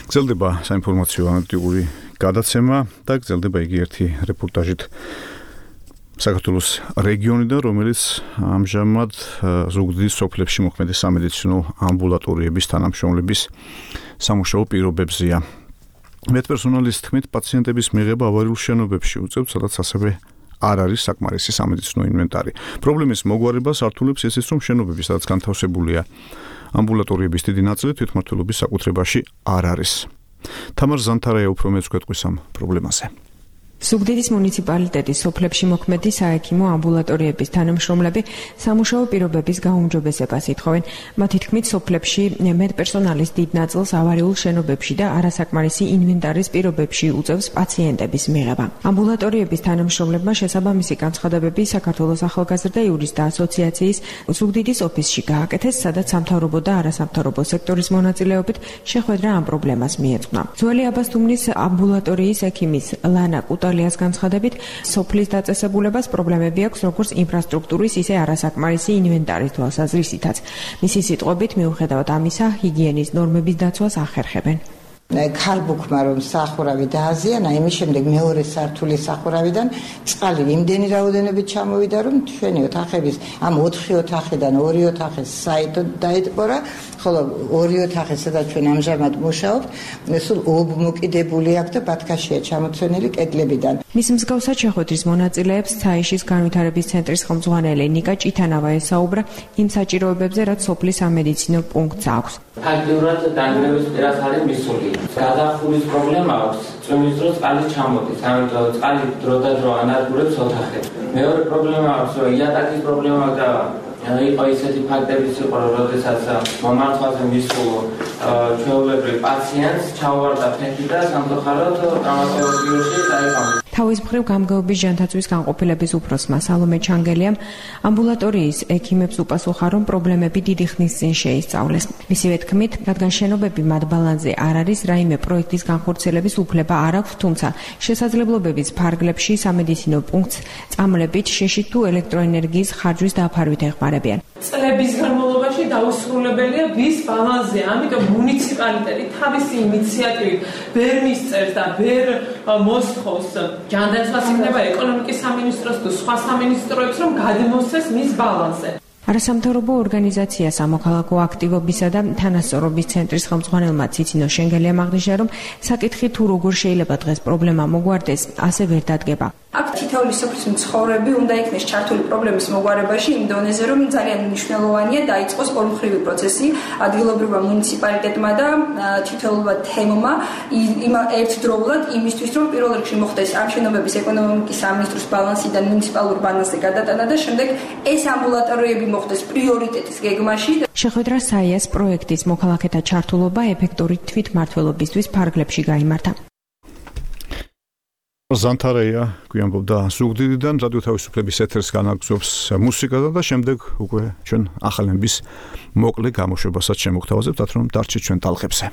გრძელდება საინფორმაციო ანალიტიკური გადაცემა და გრძელდება იგი ერთი რეპორტაჟით საქართველოს რეგიონიდან, რომელიც ამჟამად ზუგდიდის სოფლებში მოქმედი სამედიცინო ამბულატორიების თანამშრომლების სამუშაო პირობებზეა. მედპერსონალის თქმით, პაციენტების მიღება ავარიულ შენობებში უწევთ, სადაც ასევე არ არის საკმარისი სამედიცინო ინვენტარი. პრობლემის მოგვარებას ართულებს ისიც, რომ შენობები, სადაც განთავსებულია ამბულატორიების დიდი ნაწილი თვითმმართველობის საკუთრებაში არ არის. თამარ ზანთარაია უფრო მეც გვეტყვის ამ პრობლემაზე. ზუგდიდის მუნიციპალიტეტის სოფლებში მოქმედი საექიმო ამბულატორიების თანამშრომლები სამუშაო პირობების გაუმჯობესებას ითხოვენ. მათი თქმით, სოფლებში მედპერსონალის დიდ ნაწილს ავარიულ შენობებში და არასაკმარისი ინვენტარის პირობებში უწევს პაციენტების მიღება. ამბულატორიების თანამშრომლებმა შესაბამისი განცხადებები საქართველოს ახალგაზრდა იურისტთა ასოციაციის ზუგდიდის ოფისში გააკეთეს, სადაც სამთავრობო და არასამთავრობო სექტორის მონაწილეობით შეხვედრა ამ პრობლემას მიეძღვნა. ძველი აბასთუმნის ამბულატორიის ექიმის ლანა კუტალიას განცხადებით, სოფლის დაწესებულებას პრობლემები აქვს როგორც ინფრასტრუქტურის, ისე არასაკმარისი ინვენტარის თვალსაზრისითაც. მისი სიტყვებით, მიუხედავად ამისა, ჰიგიენის ნორმების დაცვას ახერხებენ. ქარბუქმა რომ სახურავი დააზიანა, იმის შემდეგ მეორე სართულის სახურავიდან წყალი იმდენი რაოდენობით ჩამოვიდა, რომ ჩვენი ოთახების ამ ოთხი ოთახიდან ორი ოთახი საერთოდ დაიტყორა, ხოლო ორი ოთახი, სადაც ჩვენ ამჟამად მუშაობთ, სულ ობმოკიდებული აქვს და ბათქაშია ჩამოცვენილი კედლებიდან. მის მსგავსად შეხვედრის მონაწილეებს ცაიშის განვითარების ცენტრის ხელმძღვანელი ნიკა ჭითანავა ესაუბრა იმ საჭიროებებზე, რაც სოფლის სამედიცინო პუნქტს აქვს. ფაქტიურად დანგრევის პირას არის მისული. გადახურვის პრობლემა აქვს, წვიმის დროს წყალი ჩამოდის, ამიტომ წყალი დროდადრო ანადგურებს ოთახებს. მეორე პრობლემა აქვს, რომ იატაკის პრობლემა და იყო ისეთი ფაქტებიც იყო, რომ როდესაც მომართვაზე მისულ ჩვეულებრივ პაციენტს ჩაუვარდა ფეხი და სამწუხაროდ ტრავმატოლოგიაში დაიღალიბა. თავის მხრივ გამგეობის ჯანთაცვის განყოფილების უფროსმა სალომე ჩანგელიამ ამბულატორიის ექიმებს უპასუხა, რომ პრობლემები დიდი ხნის წინ შეისწავლეს. მისივე თქმით, რადგან შენობები მათ ბალანსზე არ არის, რაიმე პროექტის განხორციელების უფლება არ აქვს, თუმცა შესაძლებლობების ფარგლებში სამედიცინო პუნქტს წამლებით შეშით თუ ელექტროენერგიის ხარჯვის დაფარვით ეხმარებიან. წლების განმავლობაში დაუსრულებელია ვის ბალანსზე, ამიტომ მუნიციპალიტეტი თავისი ინიციატივით ვერ მისწერს და ვერ მოსთხოვს ჯანდაცვას იქნება ეკონომიკის სამინისტროს თუ სხვა სამინისტროებს, რომ გადმოსცეს მის ბალანსზე. არასამთავრობო ორგანიზაცია სამოქალაქო აქტივობისა და თანასწორობის ცენტრის ხელმძღვანელმა ციცინო შენგელიამ აღნიშნა, რომ საკითხი თუ როგორ შეიძლება დღეს პრობლემა მოგვარდეს, ასე ვერ დადგება. აქ თითოეული სოფლის მცხოვრები უნდა იქნეს ჩართული პრობლემის მოგვარებაში იმ დონეზე, რომ ძალიან მნიშვნელოვანია დაიწყოს ორმხრივი პროცესი ადგილობრივმა მუნიციპალიტეტმა და თითოეულმა თემმა ერთდროულად იმისთვის, რომ პირველ რიგში მოხდეს ამ შენობების ეკონომიკის სამინისტროს ბალანსიდან მუნიციპალურ ბალანსზე გადატანა და შემდეგ ეს ამბულატორიები მოხდეს პრიორიტეტის გეგმაში. შეხვედრა საიას პროექტის მოქალაქეთა ჩართულობა ეფექტური თვითმმართველობისთვის ფარგლებში გაიმართა. ზანთარეა გვიანბობდა ზუგდიდიდან რადიო თავისუფლების ეთერს განაგზობს მუსიკა და შემდეგ უკვე ჩვენ ახალების მოკლე გამოშვებასაც შემოგთავაზებთ, რომ დარჩით ჩვენ ტალღებზე.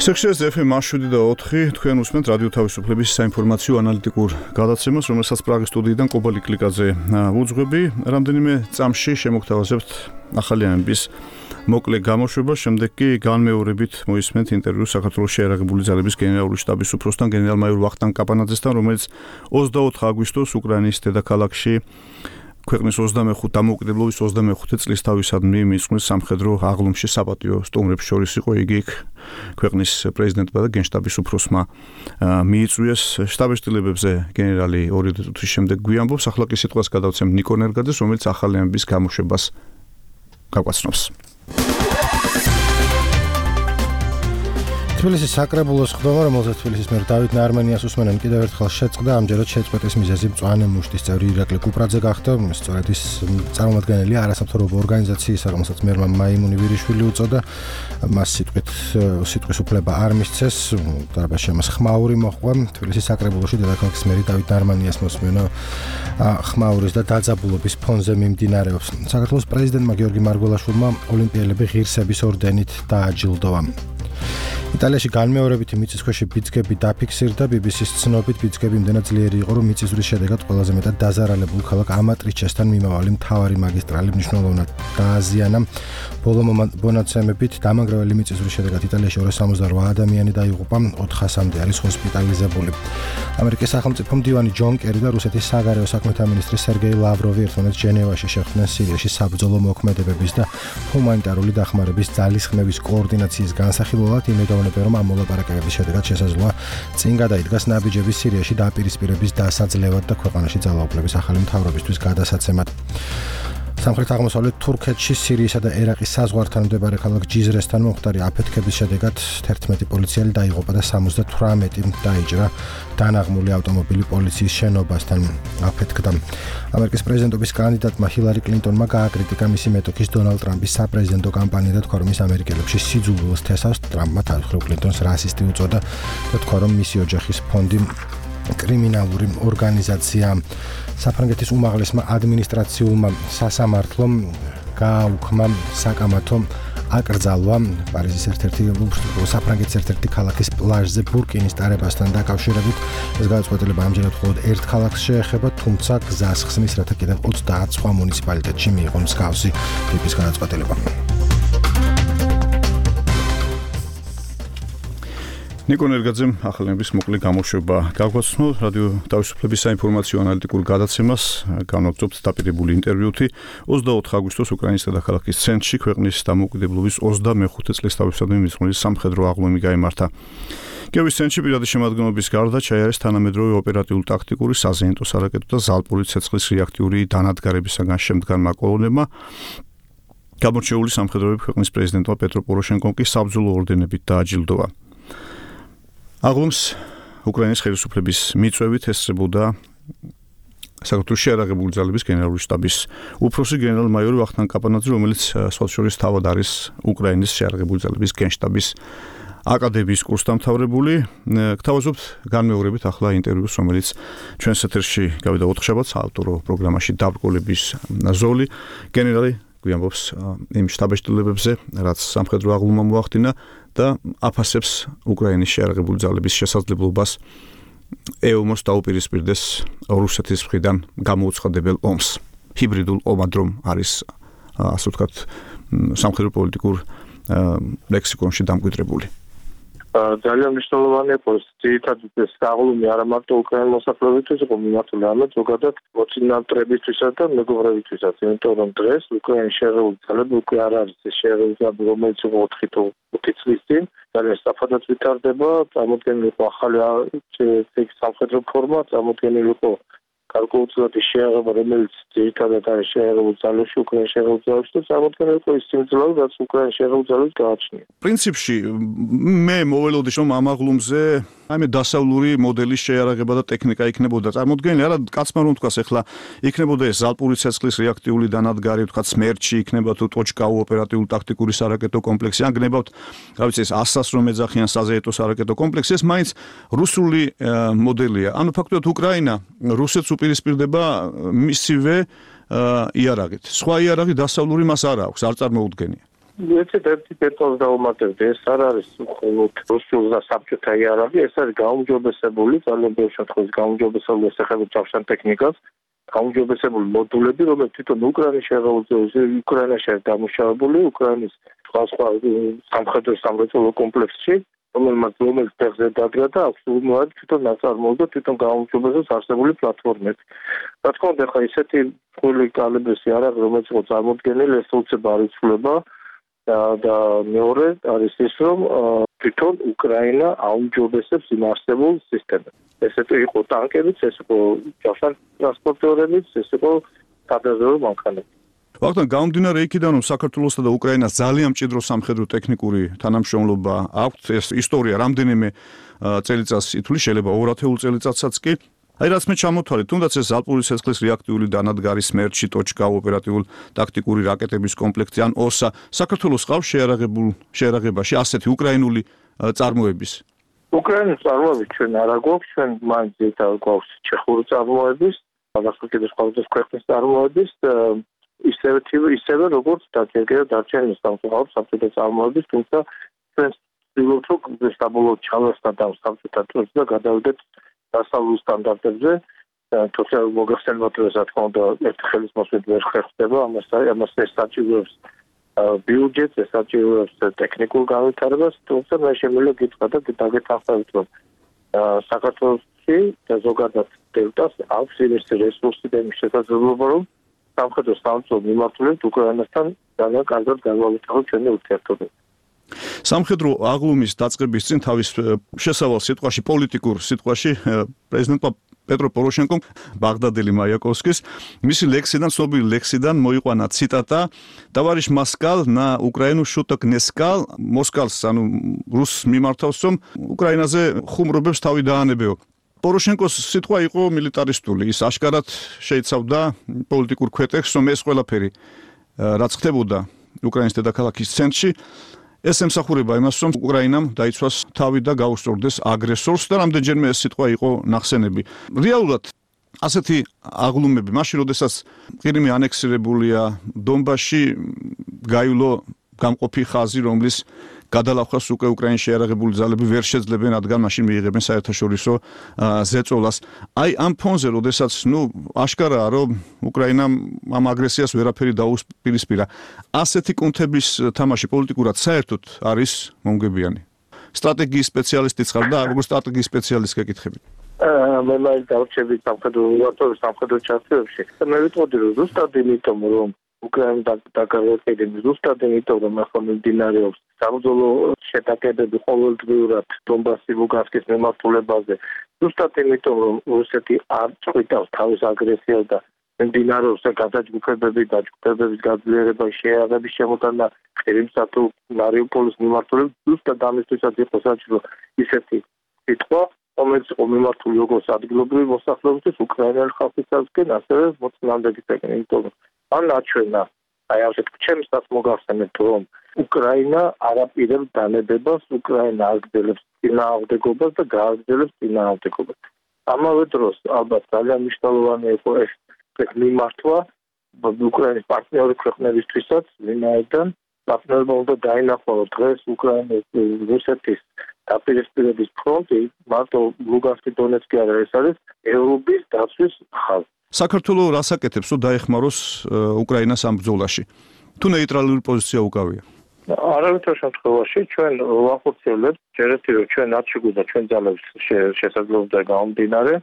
სექციაზე ეფ ემ შვიდი და ოთხი თქვენ უსმენთ რადიო თავისუფლების საინფორმაციო ანალიტიკურ გადაცემას, რომელსაც პრაღის სტუდიიდან კობალი კლიკაძე უძღვები. რამდენიმე წამში შემოგთავაზებთ ახალიანების მოკლე გამოშვება, შემდეგ კი განმეორებით მოისმენთ ინტერვიუ საქართველოს შეიარაღებული ძალების გენერალური შტაბის უფროსთან გენერალ-მაიორ ვახტანგ კაპანაძესთან, რომელიც ოცდაოთხ აგვისტოს უკრაინის დედაქალაქში ქვეყნის ოცდამეხუთე დამოუკიდებლობის ოცდამეხუთე წლის თავისადმი მისვლის სამხედრო აღლუმში საპატიო სტუმრებს შორის იყო. იგი იქ ქვეყნის პრეზიდენტმა და გენშტაბის უფროსმა მიიწვიეს. შტაბ-შტილებებზე გენერალი ორი წუთის შემდეგ გვიამბობს. ახლა კი სიტყვას გადავცემ ნიკო ნერგაძეს, რომელიც ახალიანების გამოშვებას გაგვაცნობს. თბილისის საკრებულოს ხდომა, რომელზეც თბილისის მერ დავით ნარმენიას უსმენენ კიდევ ერთხელ შეწყდა, ამჯერად შეწყვეტის მიზეზი მწვანე მუშტის წევრი ირაკლი კუპრაძე გახდა. სწორედ ის წარმომადგენელი არასამთავრობო ორგანიზაციის, რომელსაც მერმა მაიმუნი ვირიშვილი უწოდა, მას სიტყვით სიტყვის უფლება არ მისცეს, დარბაზში მას ხმაური მოჰყვა. თბილისის საკრებულოში დედაქალაქის მერი დავით ნარმენიას მოსმენა ხმაურის და დაძაბულობის ფონზე მიმდინარეობს. საქართველოს პრეზიდენტმა გიორგი მარგველაშვილმა ოლიმპიელები ღირსების ორდენით დააჯილდოვა. იტალიაში განმეორებითი მიწისქვეში ბიძგები დაფიქსირდა. ბი ბი სის ცნობით ბიძგები იმდენად ძლიერი იყო, რომ მიწისძვრის შედეგად ყველაზე მეტად დაზარალებულ ქალაქ ამატრიჩესთან მიმავალი მთავარი მაგისტრალი მნიშვნელოვნად დააზიანა. ბოლო მონაცემებით დამანგრეველი მიწისძვრის შედეგად იტალიაში ორას სამოცდაოთხ ადამიანი დაიღუპა, ოთხასამდე არის ჰოსპიტალიზებული. ამერიკის სახელმწიფო მდივანი ჯონ კერი და რუსეთის საგარეო საქმეთა მინისტრი სერგეი ლავროვი ერთმანეთს ჟენევაში შეხვდნენ სირიაში საბრძოლო მოქმედებების და ჰუმანიტარული დახმარების ძალისხმევის კოორდინაციის განსახილველად. იმედოვნებენ, რომ ამ მოლაპარაკებების შედეგად შესაძლოა წინ გადაიდგას ნაბიჯები სირიაში დაპირისპირების დასაძლევად და ქვეყანაში ძალაუფლების ახალი მთავრობისთვის გადასაცემად. სამხრეთ-აღმოსავლეთ თურქეთში სირიისა და ერაყის საზღვართან მდებარე ქალაქ ჯიზრესთან მომხდარი აფეთქების შედეგად თერთმეტი პოლიციელი დაიღუპა და სამოცდათვრამეტი დაიჭრა. დანაღმული ავტომობილი პოლიციის შენობასთან აფეთქდა. ამერიკის პრეზიდენტობის კანდიდატმა ჰილარი კლინტონმა გააკრიტიკა მისი მეტოქის დონალდ ტრამპის საპრეზიდენტო კამპანია და თქვა, რომ ის ამერიკელებში სიძულვილს თესავს. ტრამპმა თავისუფლ კლინტონს რასისტი უწოდა და თქვა, რომ მისი ოჯახის ფონდი კრიმინალური ორგანიზაცია. საფრანგეთის უმაღლესმა ადმინისტრაციულმა სასამართლომ გააუქმა საკამათო აკრძალვა პარიზის ერთ-ერთი საფრანგეთის ერთ-ერთი ქალაქის პლაჟზე ბურკინის ტარებასთან დაკავშირებით. ეს გადაწყვეტილება ამჯერად მხოლოდ ერთ ქალაქს შეეხება, თუმცა გზას ხსნის, რათა კიდევ ოცდაათ სხვა მუნიციპალიტეტში მიიღო მსგავსი ტიპის გადაწყვეტილება. ნიკო ნერგაძემ ახალიანების მოკლე გამოშვება გაგვაცნო. რადიო თავისუფლების საინფორმაციო ანალიტიკურ გადაცემას განვაგრძობთ დაპირებული ინტერვიუთი. ოცდაოთხ აგვისტოს უკრაინის დედაქალაქის ცენტრში ქვეყნის დამოუკიდებლობის ოცდამეხუთე წლის თავისადმი მისვლის სამხედრო აღლუმი გაიმართა. კიევის ცენტრში პირადი შემადგენლობის გარდა ჩაიარეს თანამედროვე ოპერატიულ-ტაქტიკური, საზეიმტო სარაკეტო და ზალპური ცეცხლის რეაქტიული დანადგარებისაგან შემდგარმა კოლონებმა გამორჩეული სამხედროები ქვეყნის პრეზიდენტმა პეტრო პოროშენკომ კი საბრძოლო ორდენებით დააჯილდოვა. აღლუმს უკრაინის ხელისუფლების მიწვევით ესწრებოდა საქართველოს შეიარაღებული ძალების გენერალური შტაბის უფროსი გენერალ-მაიორი ვახტანგ კაპანაძე, რომელიც სხვა შორის თავად არის უკრაინის შეიარაღებული ძალების გენშტაბის აკადემიის კურსდამთავრებული. გთავაზობთ განმეორებით ახლა ინტერვიუს, რომელიც ჩვენს ეთერში გავიდა ოთხშაბათს ავტორო პროგრამაში დაბრკოლების ზოლი. გენერალი გვიამბობს იმ შტაბ-შტილებებზე, რაც სამხედრო აღლუმა მოახდინა და აფასებს უკრაინის შეიარაღებული ძალების შესაძლებლობას ეომოს დაუპირისპირდეს რუსეთის მხრიდან გამოუცხადებელ ომს. ჰიბრიდულ ომად რომ არის, ასე ვთქვათ, სამხედრო პოლიტიკურ ლექსიკონში დამკვიდრებული. ძალიან მნიშვნელოვანია, რომ ძირითადად ეს აღლუმი არა მარტო უკრაინის მოსახლეობისთვის იყო მიმართული, არამედ ზოგადად მოცინავტრებისთვისაც და მეგობრებისთვისაც, იმიტომ რომ დღეს უკრაინის შეიარაღებული ძალები უკვე არ არის ეს შეიარაღებული ძალები, რომელიც იყო ოთხი თუ ხუთი წლის წინ, ძალიან სწრაფადაც ვითარდება, წარმოქმნილი იყო ახალი სამხედრო ფორმა, წარმოქმნილი იყო გარკვეულწილადი შეიარაღება, რომელიც ძირითადად არის შეიარაღებული ძალებში, უკრაინის შეიარაღებული ძალებში და წარმოქმნილი იყო ის სიმძლავრე, რაც უკრაინის შეიარაღებული ძალებს გააჩნია. პრინციპში მე მოველოდი, რომ ამ აღლუმზე აი მე დასავლური მოდელის შეიარაღება და ტექნიკა იქნებოდა წარმოქმნილი, არა კაცმა რომ თქვას, ახლა იქნებოდა ეს ზალპური ცეცხლის რეაქტიული დანადგარი, თქვა სმერჩი იქნება თუ ტოჩკაუ ოპერატიულ-ტაქტიკური სარაკეტო კომპლექსი, ან გნებავთ, რა ვიცი, ეს ასას რომ ეძახიან საზეიტო სარაკეტო კომპლექსი, ეს მაინც რუსული მოდელია. ანუ ფაქტობრივად უკრაინა რუსეთს უპირისპირდება მისივე იარაღით. სხვა იარაღი დასავლური მას არ აქვს, არ წარმოუდგენია. ეცეთ ერთი დეტალს დავუმატებდი, ეს არ არის მხოლოდ რუსულ და საბჭოთა იარაღი, ეს არის გაუმჯობესებული, ძალიან ბევრ შემთხვევაში გაუმჯობესებული ესახება ჯავშან ტექნიკას, გაუმჯობესებული მოდულები, რომელიც თვითონ უკრაინის შეღავზე, უკრაინაში არის დამუშავებული, უკრაინის სხვა სხვა სამხედრო სამრეწველო კომპლექსში, რომელმაც რომელიც ფეხზე დადგა და აქვს უმოად თვითონ ნაწარმოები და თვითონ გაუმჯობესებს არსებული პლატფორმები. რა თქმა უნდა, ხა ისეთი ფული კალიბრის იარაღი, რომელიც იყო წარმოდგენილი, ეს უცებ არ იცვლება და მეორე არის ის, რომ თვითონ უკრაინა აუმჯობესებს იმ არსებულ სისტემებს. ესეთი იყო ტანკებიც, ეს იყო ჯავშან ტრანსპორტიორებიც, ეს იყო სადაზვერვო მანქანები. ვახტანგ, გამომდინარე იქიდან, რომ საქართველოსა და უკრაინას ძალიან მჭიდრო სამხედრო ტექნიკური თანამშრომლობა აქვს, ეს ისტორია რამდენიმე წელიწადს ითვლის, შეიძლება ორ ათეულ წელიწადსაც კი. აი რაც მე ჩამოთვალე, თუნდაც ეს ალპური ცეცხლის რეაქტიული დანადგარი სმერჩი, ტოჩკა, ოპერატიულ ტაქტიკური რაკეტების კომპლექტი ან ოსა, საქართველოს ყავს შეარაღებულ შეარაღებაში ასეთი უკრაინული წარმოების. უკრაინის წარმოების ჩვენ არ აგვაქვს, ჩვენ მაინც გვაქვს ჩეხური წარმოების, აღსანიშნავად სხვადასხვა ქვეყნის წარმოების ისევე ისევე როგორც დაჯერგება დარჩენილი სამწუხაროდ საბჭოთა წარმოების, თუმცა ჩვენ ვცდილობთ რომ საბოლოო ჩავასწრათ ამ საბჭოთა წრეებს და გადავიდეთ დასავლურ სტანდარტებზე, თუმცა მოგახსენებათ რომ რა თქმა უნდა ერთი ხელის მოსვლით ვერ ხერხდება, ამას ამას ეს საჭიროებს ბიუჯეტს, ეს საჭიროებს ტექნიკურ განვითარებას, თუმცა მე შემიძლია გითხრა და დაგეთანხმებით რომ საქართველოში და ზოგადად დელტას აქვს ის რესურსი და იმის შესაძლებლობა რომ სამხედრო სამწუხარო მიმართულებით უკრაინასთან ძალიან კარგად განვავითაროთ ჩვენი ურთიერთობები. სამხედრო აღლუმის დაწყების წინ თავის შესავალ სიტყვაში, პოლიტიკურ სიტყვაში პრეზიდენტმა პეტრო პოროშენკომ ბაღდადელი მაიაკოვსკის მისი ლექსიდან, ცნობილი ლექსიდან მოიყვანა ციტატა: "Товарищ Москал на Украину шуток не сказал, Москалს, ანუ რუს მიმართავს, რომ უკრაინაზე ხუმრობებს თავი დაანებეო." პოროშენკოს სიტყვა იყო მილიტარისტული, ის აშკარად შეიცავდა პოლიტიკურ ქვეტექსს, რომ ეს ყველაფერი რაც ხდებოდა უკრაინის დედაქალაქის ცენტრში, ეს ემსახურება იმას, რომ უკრაინამ დაიცვას თავი და გაუსწორდეს აგრესორს და რამდენჯერმე ეს სიტყვა იყო ნახსენები. რეალურად ასეთი აღლუმები, მაშინ როდესაც ყირიმი ანექსირებულია, დონბასში გაივლო გამყოფი ხაზი, რომლის გადალახვას უკვე უკრაინის შეიარაღებული ძალები ვერ შეძლებენ, რადგან მაშინ მიიღებენ საერთაშორისო ზეწოლას. აი ამ ფონზე, როდესაც ნუ აშკარაა, რომ უკრაინამ ამ აგრესიას ვერაფერი დაუპირისპირა, ასეთი კუნთების თამაში პოლიტიკურად საერთოდ არის მომგებიანი. სტრატეგიის სპეციალისტიც ხარ და როგორც სტრატეგიის სპეციალისტს გეკითხებით. მე მაინც დავრჩები სამხედრო სამხედრო ჩართვებში. მე ვიტყოდი რომ ზუსტად იმიტომ რომ უკრაინა დაკარგულია ზუსტად იმიტომ რომ ახლა მიმდინარეობს საბრძოლო შეტაკებები ყოველდღიურად დონბასის ლუგანსკის მიმართულებაზე, ზუსტად იმიტომ რომ რუსეთი არ წვითავს თავის აგრესიას და მიმდინარეობს გადაჯგუფებები და ჯგუფებების გაძლიერება, შეიარაღების შემოტანა ყირიმსა თუ მარიუპოლის მიმართულებით, ზუსტად ამისთვისაც იყო საჭირო ისეთი სიტყვა, რომელიც იყო მიმართული როგორც ადგილობრივი მოსახლეობისთვის, უკრაინელი ხალხისაგან, ასევე მოწინააღმდეგეებისაგან, იმიტომ რომ ან აჩვენა, აი ასეთ ჩემსაც მოგახსენებთ, რომ უკრაინა არაპირებს დანებებას, უკრაინა აგრძელებს წინააღმდეგობას და გააგრძელებს წინააღმდეგობას. ამავე დროს, ალბათ ძალიან მნიშვნელოვანი იყო ეს მიმართვა უკრაინის პარტნიორი ქვეყნებისთვისაც, ვინაიდან პარტნიორებმა უნდა დაინახოს დღეს უკრაინის რუსეთის დაპირისპირების ფრონტი, მარტო ლუგანსკი, დონეცკი არა, ეს არის ევროპის დაცვის ხაზი. საქართველოს რას აკეთებს, რომ დაეხმაროს უკრაინას ამ ბრძოლაში? თუ ნეიტრალური პოზიცია უკავია? არავითარ შემთხვევაში ჩვენ ვახორციელებთ ჯერეთი რომ ჩვენ არჩეგვიდა ჩვენ ძალებს შესაძლებლობა გამომდინარე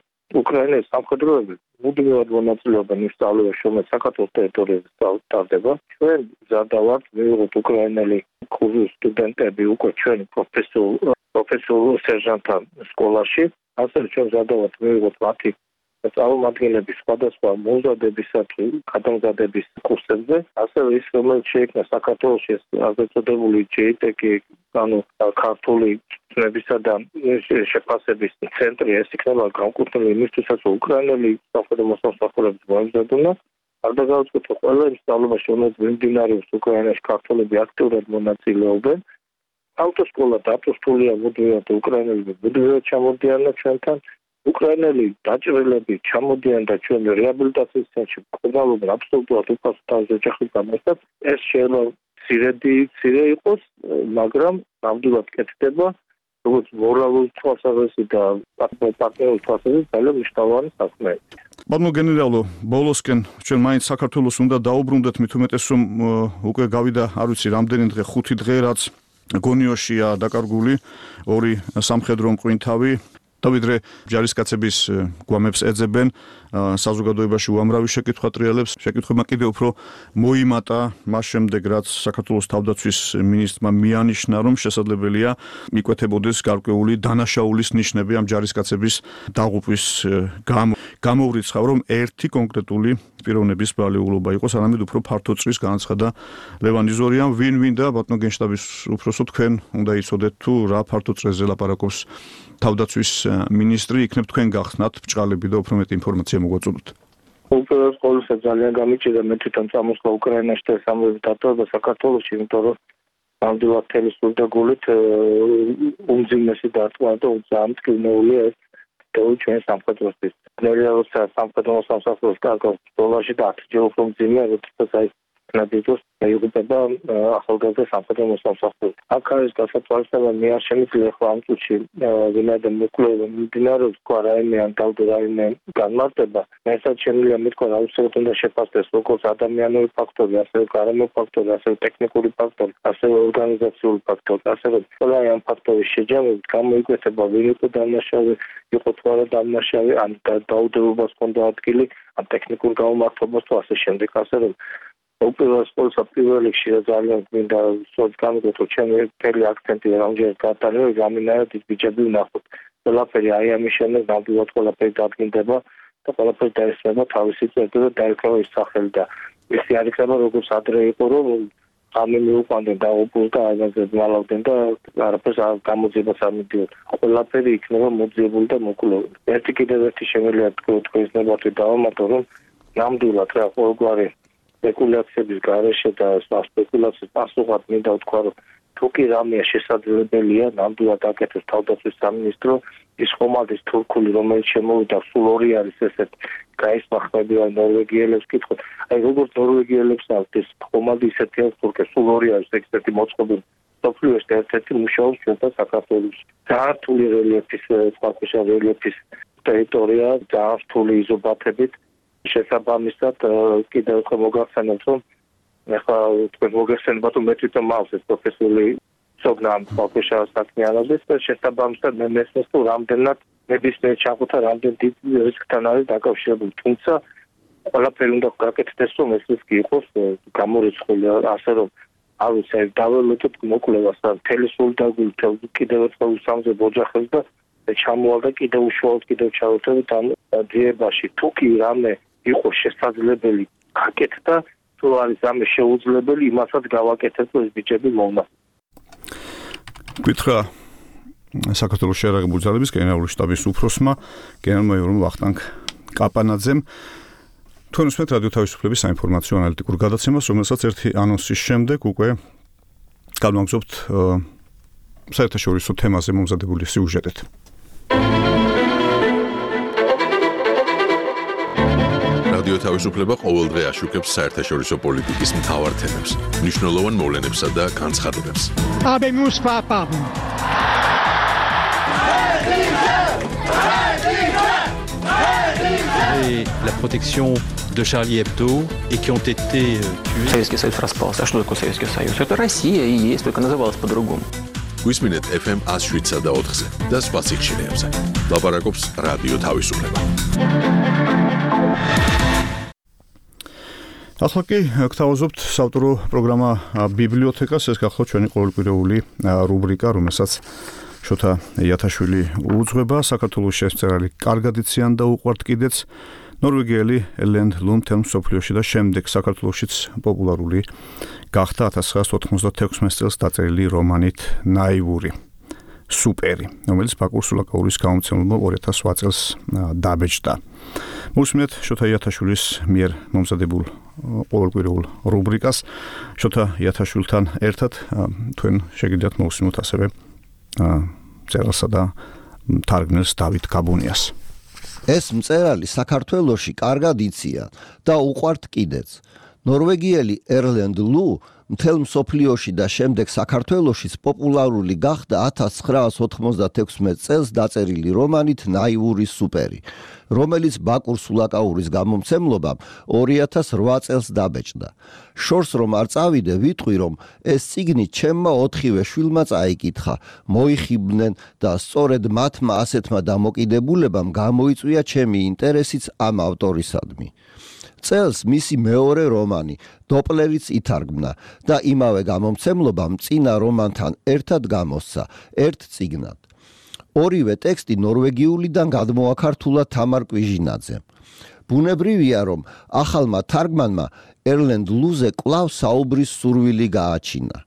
უკრაინის სამხედროები მუდმივად მონაწილეობენ იმ სწავლებაში, რომელიც საქართველოს ტერიტორიაზე ტარდება. ჩვენ მზადავართ მივიღოთ უკრაინელი კურსის სტუდენტები უკვე ჩვენ პროფესიულ პროფესიულ სერჟანტთან სკოლაში, ასევე ჩვენ მზადავართ მივიღოთ მათი წარმომადგენლების სხვადასხვა მომზადებისათვის გადამზადების კურსებზე, ასევე ის რომელიც შეიქმნა საქართველოში ასე წოდებული ჯეი ტი კი, ანუ ქართული ცნებისა და შეფასების ცენტრი, ეს იქნება განკუთვნილი იმისთვისაც, რომ უკრაინელი სამხედრო მოსამსახურეებს მოემზადონ. არ დაგავიწყოთ, ყველა იმ სწავლებაში, რომელიც მიმდინარეობს უკრაინაში, ქართველები აქტიურად მონაწილეობენ. ავტოსკოლა დაწესებულია მუდმივად უკრაინელები მუდმივად ჩამოდიან ჩვენთან. უკრაინელი დაჭრილები ჩამოდიან და ჩვენ რეაბილიტაციის ცენტრში ყობალობენ აბსოლუტურად უფასო თავის ოჯახის გამოსად. ეს შეიძლება ცირედი ცირე იყოს, მაგრამ ნამდვილად კეთდება, როგორც მორალური თვალსაზრისით და პარტნიორული თვალსაზრისით ძალიან მნიშვნელოვანი საქმეა. ბატონო გენერალო, ბოლოსკენ ჩვენ მაინც საქართველოს უნდა დაუბრუნდეთ, მით უმეტეს რომ უკვე გავიდა, არ ვიცი, რამდენი დღე, ხუთი დღე, რაც გონიოშია დაკარგული ორი სამხედრო მყინვარი. დავიდრე ჯარისკაცების გვამებს ეძებენ, საზოგადოებაში უამრავი შეკითხვა ტრიალებს, შეკითხვებმა კიდევ უფრო მოიმატა მას შემდეგ, რაც საქართველოს თავდაცვის მინისტრმა მიანიშნა, რომ შესაძლებელია მიკვეთებოდეს გარკვეული დანაშაულის ნიშნები ამ ჯარისკაცების დაღუპვის გამო. გამოვრიცხავ, რომ ერთი კონკრეტული პიროვნების ბრალეულობა იყოს, არამედ უფრო ფართო წრის განაცხადა ლევან იზორიამ, ვინ ვინ და ბატონო გენშტაბის უფროსო, თქვენ უნდა იცოდეთ თუ რა ფართო წრეზე ლაპარაკობს თავდაცვის მინისტრი, იქნებ თქვენ გახსნათ ბჭყალები და უფრო მეტი ინფორმაცია მოგვაწოდოთ. უპირველეს ყოვლისა ძალიან გამიჭირდა მე თვითონ წამოსვლა უკრაინაში და სამხედრო დატოვება საქართველოში, იმიტომ რომ ნამდვილად თელი სულ და გულით უმძიმესი დარტყმა და ძალიან მტკივნეულია ეს თითოეული ჩვენი სამხედროსთვის. ნელიაოცა სამხედრო სამსახურის კარგავს დოლარში და ათჯერ უფრო მძიმე, როდესაც აი ნაბიჯოს მეიღუპება ახალგაზრდა სამხედრო სამსახური. აქ არის გასათვალისწინება მე არ შემიძლია ხო ამ წუთში ვინაიდან მოკვლევა მიმდინარეობს თქვა რაიმე ან დავდო რაიმე განმარტება, მესაც შემიძლია მეთქვა რა უცებად უნდა შეფასდეს როგორც ადამიანური ფაქტორი, ასევე გარემო ფაქტორი, ასევე ტექნიკური ფაქტორი, ასევე ორგანიზაციული ფაქტორი, ასევე ყველა ამ ფაქტორის შეჯამებით გამოიკვეთება ვინ იყო დამნაშავე, იყო თუ არა დამნაშავე, ან დაუდევობას ჰქონდა ადგილი, ან ტექნიკურ გამომართლებას თუ ასე შემდეგ, ასევე უპირველეს ყოვლისა პირველ რიგში ძალიან მინდა გამიგოთ, ჩემი მთელი აქცენტი რამდენად გატანილი, რამინაირად ის ბიჭები ვნახოთ. ყველაფერი აი ამის შემდეგ ნამდვილად ყველაფერი დადგინდება და ყველაფერი დაესწრება თავისი წერტილი და დაერქვა ის სახელი და ისე არ იქნება როგორც ადრე იყო, რომ ამი მიუყვანდნენ და ოპუს და აიღეს მალავდნენ და არაფერს არ გამოძიებას არ მიდიოდ. ყველაფერი იქნება მოძიებული და მოკლეული. ერთი კიდევ ერთი შემიძლია თქვენს ნებართვით დავამატო, რომ ნამდვილად რა ყოველგვარი სპეკულაციების გარეშე და სპეკულაციის პასუხად მინდა ვთქვა, რომ თუ კი რამეა შესაძლებელია, ნამდვილად აკეთებს თავდაცვის სამინისტრო, ის ხომალდის თურქული, რომელიც შემოვიდა, სულ ორი არის ესეთ გაისმახმები ან ნორვეგიელებს კითხოთ. აი როგორც ნორვეგიელებს აქვს ეს ხომალდი ისეთი აქვს თურქე, სულ ორი არის ექსპერტი მოწყობილი. სოფლიოს ერთ-ერთი მუშაობს ჩვენთან საქართველოში. ძალიან რთული რელიეფის, წყალქვეშა რელიეფის ტერიტორია, ძალიან რთული იზობათებით. შესაბამისად კიდევ უფრო მოგახსენებთ, რომ ეხლა თქვენ მოგეხსენებათ, რომ მე თვითონ მაქვს ეს პროფესიული ცოდნა ამ წყალქვეშა საქმიანობის და შესაბამისად მე მესმის თუ რამდენად ნებისმიერ ჩახუთა რამდენ დიდ რისკთან არის დაკავშირებული. თუმცა ყველაფერი უნდა გაკეთდეს, რომ ეს რისკი იყოს გამორიცხული, ასე რომ არ ვიცი, დაველოდოთ მოკვლევას და მთელი სულდაგული კიდევ ერთხელ უსამძებ ოჯახებს და ჩამოვალდა კიდევ უშუალოდ კიდევ ჩავერთებით ამ ძიებაში. თუ კი რამე იყო შესაძლებელი გაკეთდა, თუ არის ამე შეუძლებელი, იმასაც გავაკეთებ, ეს ბიჭები მოვნა. გითხრა საქართველოს შეიარაღებული ძალების გენერალური შტაბის უფროსმა, გენერალ-მაიორმა ვახტანგ კაპანაძემ. თქვენ უსმენთ რადიო თავისუფლების საინფორმაციო ანალიტიკურ გადაცემას, რომელსაც ერთი ანონსის შემდეგ უკვე განვაგრძობთ საერთაშორისო თემაზე მომზადებული სიუჟეტით. რადიო თავისუფლება ყოველდღე აშუქებს საერთაშორისო პოლიტიკის მთავარ თემებს, მნიშვნელოვან მოვლენებსა და განცხადებებს. Habemos papam. Et la protection de Charlie Hebdo et qui ont été tués. Советский Союз распался. А что такое Советский Союз? Это Россия и есть, только называлась по-другому. გვისმინეთ эф эм one oh seven და ოთხზე და სხვა სიხშირეებზე. ლაპარაკობს რადიო თავისუფლება. ახლა კი გთავაზობთ საავტორო პროგრამა ბიბლიოთეკას, ეს გახლავთ ჩვენი ყოველკვირეული რუბრიკა, რომელსაც შოთა იათაშვილი უძღვება. საქართველოს შესწრალი კარგად იციან და უყვართ კიდეც ნორვეგიელი ლენდ ლუმ თემ სოფლიოში და შემდეგ საქართველოშიც პოპულარული გახდა ათას ცხრაასი ოთხმოცდათექვსმეტ წელს დაწერილი რომანით ნაივური სუპერი, რომელიც ბაკურ სულაკაურის გამომცემლობა ორი ათას ოთხ წელს დაბეჭდა. მოვსმინეთ შოთა იათაშვილის მიერ მომზადებულ ყოველკვირეულ რუბრიკას. შოთა იათაშვილთან ერთად თქვენ შეგიძლიათ მოვსმინოთ ასევე მწერალსა და თარგმნელს დავით გაბუნიას. ეს მწერალი საქართველოში კარგად იციან და უყვართ კიდეც. ნორვეგიელი ერლენდ ლუ მთელ მსოფლიოში და შემდეგ საქართველოშიც პოპულარული გახდა ათას ცხრაას ოთხმოცდათექვსმეტ წელს დაწერილი რომანით ნაივური სუპერი, რომელიც ბაკურ სულაკაურის გამომცემლობამ ორი ათას რვა წელს დაბეჭდა. შორს რომ არ წავიდე, ვიტყვი რომ ეს წიგნი ჩემმა ოთხივე შვილმა წაიკითხა, მოიხიბნენ და სწორედ მათმა ასეთმა დამოკიდებულებამ გამოიწვია ჩემი ინტერესიც ამ ავტორისადმი. წელს მისი მეორე რომანი დოპლერიც ითარგმნა და იმავე გამომცემლობამ წინა რომანთან ერთად გამოსცა ერთ წიგნად. ორივე ტექსტი ნორვეგიულიდან გადმოაქართულა თამარ კვიჟინაძემ. ბუნებრივია, რომ ახალმა თარგმანმა ერლენდ ლუზე კვლავ საუბრის სურვილი გააჩინა.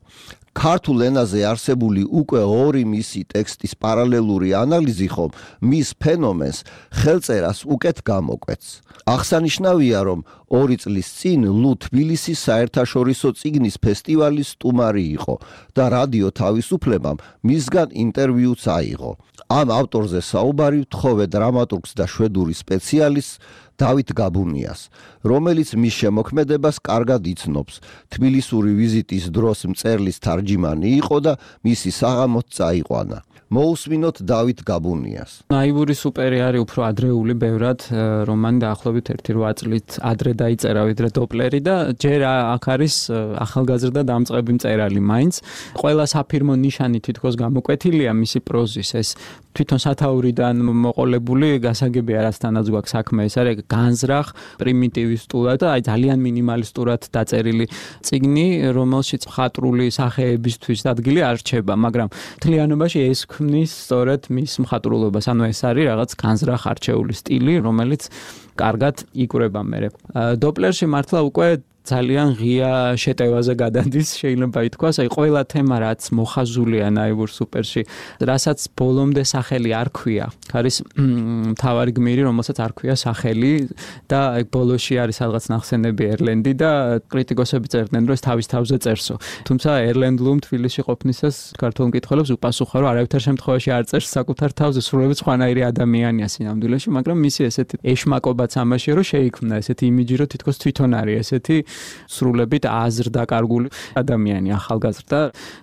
ქართულ ენაზე არსებული უკვე ორი მისი ტექსტის პარალელური ანალიზი ხომ მის ფენომენს ხელწერას უკეთ გამოკვეთს. აღსანიშნავია, რომ ორი წლის წინ ლუ თბილისის საერთაშორისო წიგნის ფესტივალის სტუმარი იყო და რადიო თავისუფლებამ მისგან ინტერვიუც აიღო. ამ ავტორზე საუბარი ვთხოვე დრამატურგს და შვედური სპეციალისტს დავით გაბუნიას, რომელიც მის შემოქმედებას კარგად იცნობს. თბილისური ვიზიტის დროს მწერლის თარჯიმანი იყო და მისი საღამოც წაიყვანა. მოусმინოთ დავით გაბუნიას. ნაივური სუპერი არის უფრო ადრეული ბევრად, რომანი დაახლოებით ერთი რვა წლით ადრე დაიწერა ვიდრე დოპლერი და ჯერ აქ არის ახალგაზრდა დამწყები მწერალი მაინც. ყველა საფირმო ნიშანი თითქოს გამოკვეთილია მისი პროზის, ეს თვითონ სათაურიდან მოყოლებული გასაგებია, რასთანაც გვაქვს საქმე, ეს არის განზრახ, პრიმიტივისტულად და აი ძალიან მინიმალისტურად დაწერილი წიგნი, რომელშიც მხატვრული სახეებისთვის ადგილი არ რჩება, მაგრამ მთლიანობაში ეს ქმნის სწორედ მის მხატვრულობას, ანუ ეს არის რაღაც განზრახ არჩეული სტილი, რომელიც კარგად იკვრება მერე. დოპლერში მართლა უკვე ძალიან ღია შეტევაზე გადადის, შეიძლება ითქვას, აი ყველა თემა რაც მოხაზულია ნაივურ სუპერში, რასაც ბოლომდე სახელი არ ქვია. არის მთავარი გმირი, რომელსაც არ ქვია სახელი და აი ბოლოში არის რაღაც ნახსენები ერლენდი და კრიტიკოსები წერდნენ, რომ ეს თავის თავზე წერსო. თუმცა ერლენდ ლუმ თბილისში ყოფნისას ქართულ მკითხველებს უპასუხა, რომ არავითარ შემთხვევაში არ წერს საკუთარ თავზე, სრულებით სხვანაირი ადამიანია სინამდვილეში, მაგრამ მისი ესეთი ეშმაკობაც ამაშია, რომ შეიქმნა ესეთი იმიჯი, რომ თითქოს თვითონ არის ესეთი სრულებით აზრდაკარგული ადამიანი, ახალგაზრდა,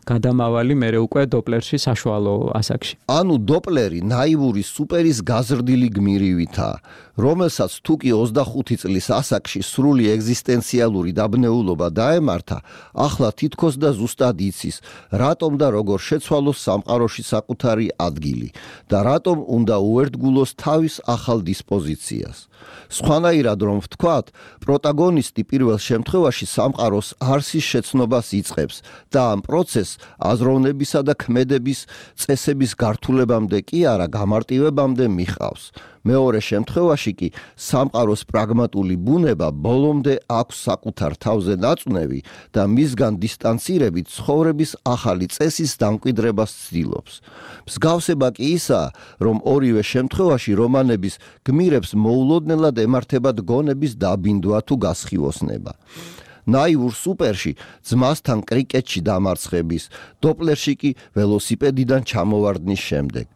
გადამავალი მერე უკვე დოპლერში საშუალო ასაკში. ანუ დოპლერი ნაივური სუპერის გაზრდილი გმირივითა, რომელსაც თუკი ოცდახუთი წლის ასაკში სრული ეგზისტენციალური დაბნეულობა დაემართა, ახლა თითქოს და ზუსტად იცის, რატომ და როგორ შეცვალოს სამყაროში საკუთარი ადგილი და რატომ უნდა უერთგულოს თავის ახალ დისპოზიციას. სხვანაირად რომ ვთქვათ, პროტაგონისტი პირველ შემთხვევაში სამყაროს არსის შეცნობას იწყებს და ამ პროცესს აზროვნებისა და ქმედების წესების გართულებამდე კი არა გამარტივებამდე მიჰყავს. მეორე შემთხვევაში კი სამყაროს პრაგმატული ბუნება ბოლომდე აქვს საკუთარ თავზე ნაწუნევი და მისგან დისტანცირებით ცხოვრების ახალი წესის დამკვიდრებას ცდილობს. მსგავსება კი ისაა, რომ ორივე შემთხვევაში რომანების გმირებს მოულოდნელად ემართებათ გონების დაბინდვა თუ გასხივოსნება. ნაივურ სუპერში ძმასთან კრიკეტში დამარცხების, დოპლერში კი ველოსიპედიდან ჩამოვარდნის შემდეგ.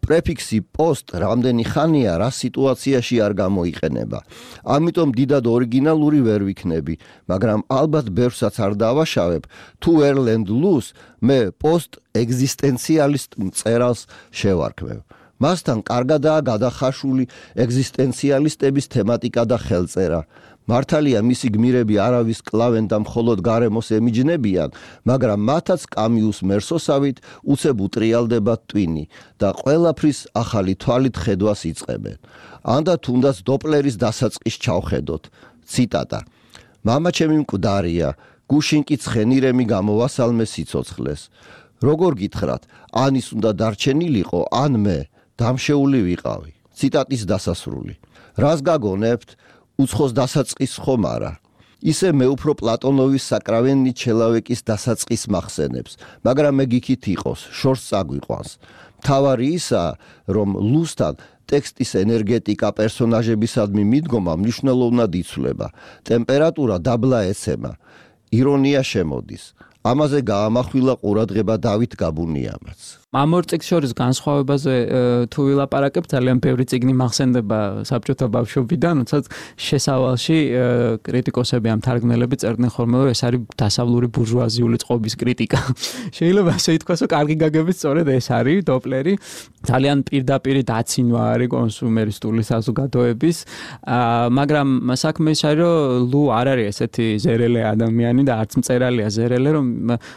პრეფიქსი post რამდენი ხანია რა სიტუაციაში არ გამოიყენება. ამიტომ დიდად ორიგინალური ვერ ვიქნები, მაგრამ ალბათ ბევრსაც არ დავაშავებ, თუ ერლენდ ლუს მე post ეგზისტენციალისტ მწერალს შევარქმევ. მასთან კარგადაა გადახაშული ეგზისტენციალისტების თემატიკა და ხელწერა. მართალია მისი გმირები არავის კლავენ და მხოლოდ გარემოს ემიჯნებიან, მაგრამ მათაც კამიუს მერსოსავით უცებ უტრიალდება ტვინი და ყველაფრის ახალი თვალით ხედვას იწყებენ. ანდა თუნდაც დოპლერის დასაწყის ჩავხედოთ. ციტატა. მამა ჩემი მკვდარია, გუშინ კი ცხენირემი გამოვასალმე სიცოცხლეს. როგორ გითხრათ, ან ის უნდა დარჩენილიყო, ან მე დამშეული ვიყავი. ციტატის დასასრული. რას გაგონებთ? უცხოს დასაწყის ხომ არა. ისე მე უფრო პლატონოვის საკრავენი ჩელავეკის დასაწყის მახსენებს, მაგრამ მე გიქით იყოს, შორს წაგვიყვანს. მთავარი ისაა, რომ ლუსთან ტექსტის ენერგეტიკა პერსონაჟებისადმი მიდგომა მნიშვნელოვნად იცვლება, ტემპერატურა დაბლა ეცემა, ირონია შემოდის. ამაზე გაამახვილა ყურადღება დავით გაბუნიამაც. ამ ორ წიგნს შორის განსხვავებაზე თუ ვილაპარაკებთ, ძალიან ბევრი წიგნი მახსენდება საბჭოთა ბავშვობიდან, როდესაც შესავალში კრიტიკოსები ამ თარგმნელები წერდნენ ხოლმე, რომ ეს არის დასავლური ბურჟუაზიული წყობის კრიტიკა. შეიძლება ასე ითქვას, რომ კარგი გაგებით სწორედ ეს არის დოპლერი. ძალიან პირდაპირი დაცინვა არის კონსუმერისტული საზოგადოების, მაგრამ საქმე ის არის, რომ ლუ არ არის ესეთი ზერელე ადამიანი და არც მწერალია ზერელე, რომ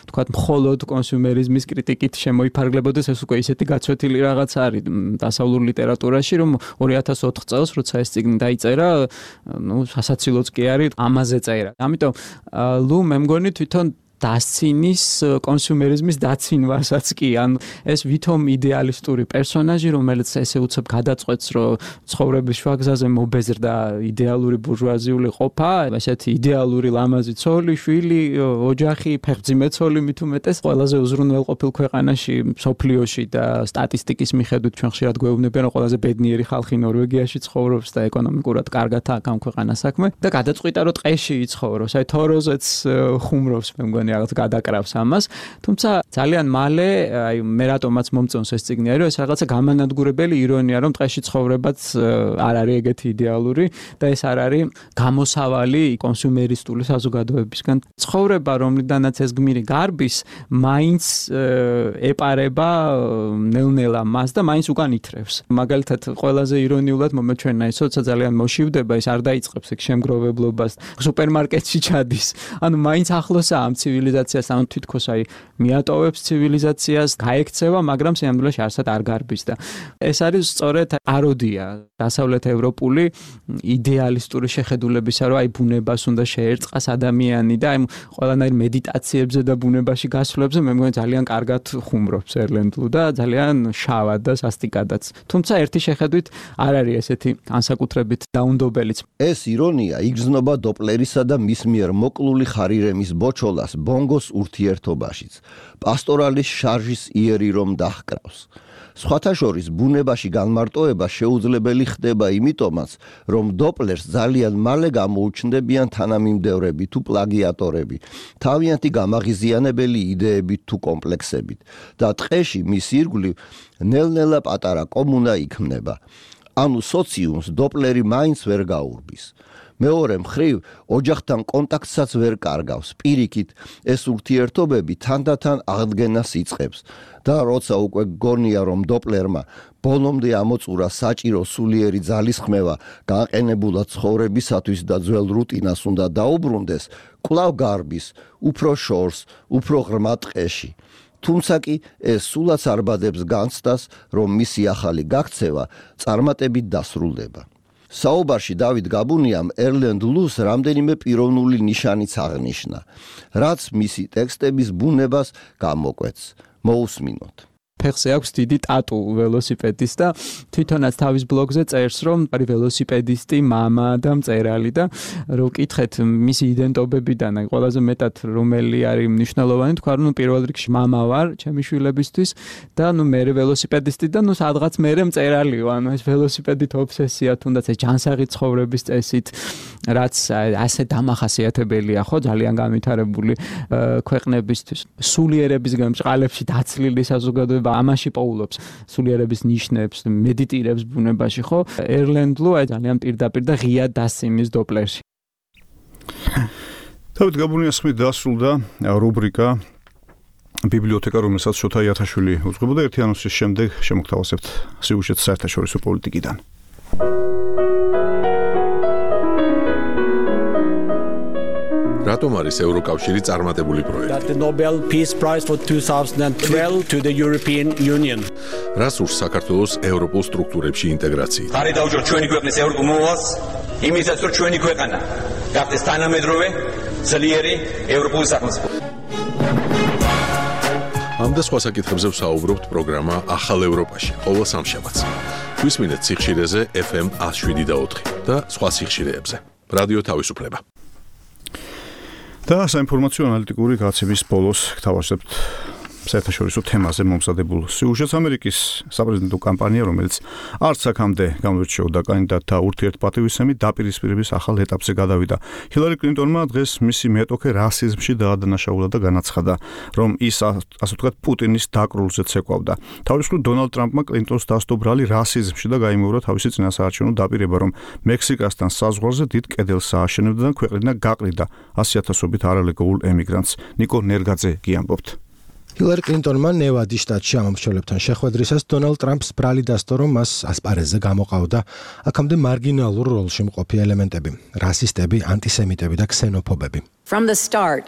თქვათ მხოლოდ კონსუმერიზმის კრიტიკით შემოიფარგლებოდა. ეს უკვე ისეთი გაცვეთილი რაღაც არის დასავლურ ლიტერატურაში, რომ ორი ათას ოთხ წელს, როცა ეს წიგნი დაიწერა, ნუ სასაცილოც კი არის ამაზე წერა. ამიტომ ლუ მე მგონი თვითონ დასცინის კონსუმერიზმის დაცინვასაც კი, ან ეს ვითომ იდეალისტური პერსონაჟი, რომელიც ესე უცებ გადაწყვეტს, რომ ცხოვრების შუაგზაზე მობეზრდა იდეალური ბურჟუაზიული ყოფა, ესეთი იდეალური ლამაზი ცოლი, შვილი, ოჯახი, ფეხმძიმე ცოლი მით უმეტეს, ყველაზე უზრუნველყოფილ ქვეყანაში, მსოფლიოში და სტატისტიკის მიხედვით ჩვენ ხშირად გვეუბნებიან, რომ ყველაზე ბედნიერი ხალხი ნორვეგიაში ცხოვრობს და ეკონომიკურად კარგად აქვს ამ ქვეყანას საქმე და გადაწყვიტა, რომ ტყეში იცხოვროს, აი თოროზეც ხუმრობს, მე მგონი რაღაც გადაკრავს ამას, თუმცა ძალიან მალე, აი მე რატომაც მომწონს ეს წიგნი არის, რომ ეს რაღაცა გამანადგურებელი ირონია, რომ ტყეში ცხოვრებაც არ არის ეგეთი იდეალური და ეს არ არის გამოსავალი კონსუმერისტული საზოგადოებისგან. ცხოვრება, რომლიდანაც ეს გმირი გარბის, მაინც ეპარება ნელ-ნელა მას და მაინც უკან ითრევს. მაგალითად, ყველაზე ირონიულად მომეჩვენა ის, როცა ძალიან მოშივდება, ის არ დაიწყებს ეგ შემგროვებლობას, სუპერმარკეტში ჩადის. ანუ მაინც ახლოსაა ამ ცივილიზაციას, ანუ თითქოს აი მიატოვებს ცივილიზაციას, გაექცევა, მაგრამ სიამდვილეში არსად არ გარბის და ეს არის სწორედ აროდია დასავლეთ ევროპული იდეალისტური შეხედულებისა, რომ აი ბუნებას უნდა შეერწყას ადამიანი და აი ყველანაირ მედიტაციებზე და ბუნებაში გასვლებზე მე მგონი ძალიან კარგად ხუმრობს ერლენდლუ და ძალიან შავად და სასტიკადაც. თუმცა ერთი შეხედვით არ არის ესეთი განსაკუთრებით დაუნდობელიც. ეს ირონია იგრძნობა დოპლერისა და მის მიერ მოკლული ხარირემის ბოჩოლას ბონგოს ურთიერთობაშიც. პასტორალის შარჟის იერი რომ დაჰკრავს. სხვათა შორის ბუნებაში განმარტოება შეუძლებელი ხდება იმიტომაც, რომ დოპლერს ძალიან მალე გამოუჩნდებიან თანამიმდევრები თუ პლაგიატორები, თავიანთი გამაღიზიანებელი იდეებით თუ კომპლექსებით და ტყეში მის ირგვლივ ნელ-ნელა პატარა კომუნა იქმნება. ანუ სოციუმს დოპლერი მაინც ვერ გაურბის. მეორე მხრივ, ოჯახთან კონტაქტსაც ვერ კარგავს. პირიქით, ეს ურთიერთობები თანდათან აღდგენას იწყებს და როცა უკვე გონია, რომ დოპლერმა ბოლომდე ამოწურა საჭირო სულიერი ძალისხმევა გაყენებულად ცხოვრებისათვის და ძველ რუტინას უნდა დაუბრუნდეს, კვლავ გარბის, უფრო შორს, უფრო ღრმა ტყეში. თუმცა კი ეს სულაც არბადებს განცდას, რომ მისი ახალი გაქცევა წარმატებით დასრულდება. საუბარში დავით გაბუნიამ ერლენდ ლუს რამდენიმე პიროვნული ნიშანიც აღნიშნა, რაც მისი ტექსტების ბუნებას გამოკვეთს. მოусმინოთ. ფეხზე აქვს დიდი ტატუ ველოსიპედის და თვითონაც თავის ბლოგზე წერს, რომ არის ველოსიპედისტი, მამა და მწერალი და რო ვკითხეთ მისი იდენტობებიდან, აი ყველაზე მეტად რომელი არის მნიშვნელოვანი, თქვა რომ პირველ რიგში მამა ვარ ჩემი შვილებისთვის და ნუ მე ველოსიპედისტი და ნუ სადღაც მე მწერალი ვარ, ანუ ეს ველოსიპედით ობსესია, თუნდაც ეს ჯანსაღი ცხოვრების წესით, რაც ასე დამახასიათებელია, ხო, ძალიან განვითარებული ქვეყნებისთვის. სულიერებისგან ბრწყალებში დაცლილი საზოგადოება ამაში პოულობს სულიერების ნიშნებს, მედიტირებს ბუნებაში, ხო? ერლენდლუ აი ძალიან პირდაპირ და ღიად დასცინვის დოპლერში. დავით გაბუნიას ხმით დასრულდა რუბრიკა ბიბლიოთეკა, რომელსაც შოთა იათაშვილი უძღვებოდა. ერთი ანონსის შემდეგ შემოგთავაზებთ სიუჟეტს საერთაშორისო პოლიტიკიდან. რატომ არის ევროკავშირი წარმატებული პროექტი? That the Nobel Peace Prize for twenty twelve to the European Union. რას ურს საქართველოს ევროპულ სტრუქტურებში ინტეგრაციით? ხარი დაუჭროთ ჩვენი ქვეყნის ევროპულ მოვალს, იმისაც რომ ჩვენი ქვეყანა გახდეს თანამედროვე, ძლიერი ევროპული სახელმწიფო. ამ და სხვა საკითხებზე ვსაუბრობთ პროგრამა ახალ ევროპაში, ყოველ სამშაბათს. გვისმინეთ სიხშირეზე ეფ ემ one oh seven და ოთხი და სხვა სიხშირეებზე. რადიო თავისუფლება. და საინფორმაციო ანალიტიკური გაცემის ბოლოს გთავაზებთ საერთაშორისო თემაზე მომზადებულ სიუჟეტს. ამერიკის საპრეზიდენტო კამპანია, რომელიც არც აქამდე გამოირჩეოდა კანდიდატთა ურთიერთპატივისცემით, დაპირისპირების ახალ ეტაპზე გადავიდა. ჰილარი კლინტონმა დღეს მისი მეტოქე რასიზმში დაადანაშაულა და განაცხადა, რომ ის ასე ვთქვათ პუტინის დაკრულზე ცეკვავდა. თავისუფლად დონალდ ტრამპმა კლინტონს დასტო ბრალი რასიზმში და გაიმეორა თავისი წინასაარჩევნო დაპირება, რომ მექსიკასთან საზღვარზე დიდ კედელს ააშენებდა და ქვეყნიდან გაყრიდა ასი ათასობით არალეგალურ ემიგრანტს. ნიკო ნერგაძე გიამბობთ. ჰილარი კლინტონმა ნევადის შტატში ამომრჩეველებთან შეხვედრისას დონალდ ტრამპს ბრალი დასტო, რომ მას ასპარეზზე გამოყავდა აქამდე მარგინალურ როლში მყოფი ელემენტები, რასისტები, ანტისემიტები და ქსენოფობები. From the start,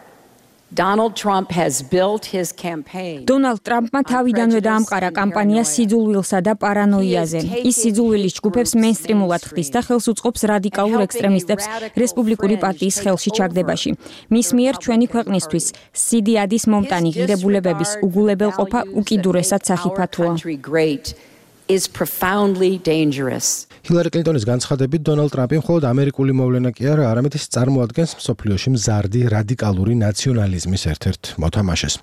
Donald Trump has built his campaign. Donald Trump-მა თავიდანვე დაამყარა კამპანია სიძულვილსა და პარანოიაზე. ის სიძულვილის ჯგუფებს მეინსტრიმულად ხდის და ხელს უწყობს რადიკალურ ექსტრემისტებს რესპუბლიკური პარტიის ხელში ჩაგდებაში. მის მიერ ჩვენი ქვეყნისთვის სიდიადის მომტანი ღირებულებების უგულებელყოფა უკიდურესად სახიფათოა. is profoundly dangerous. ჰილარი კლინტონის განცხადებით, დონალდ ტრამპი მხოლოდ ამერიკული მოვლენა კი არა, არამედ ის წარმოადგენს მსოფლიოში მზარდი რადიკალური ნაციონალიზმის ერთ-ერთ მოთამაშეს.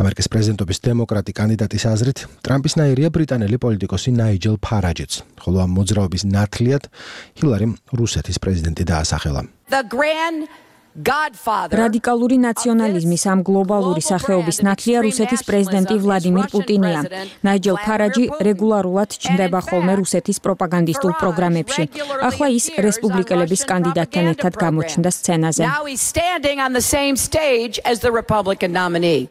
ამერიკის პრეზიდენტობის დემოკრატი კანდიდატის აზრით, ტრამპისნაირია ბრიტანელი პოლიტიკოსი ნაიჯელ ფარაჯიც, ხოლო ამ მოძრაობის ნათლიად ჰილარიმ რუსეთის პრეზიდენტი დაასახელა. The grand რადიკალური ნაციონალიზმის ამ გლობალური სახეობის ნათლია რუსეთის პრეზიდენტი ვლადიმირ პუტინია. ნაიჯელ ფარაჯი რეგულარულად ჩნდება ხოლმე რუსეთის პროპაგანდისტულ პროგრამებში. ახლა ის რესპუბლიკელების კანდიდატთან ერთად გამოჩნდა სცენაზე.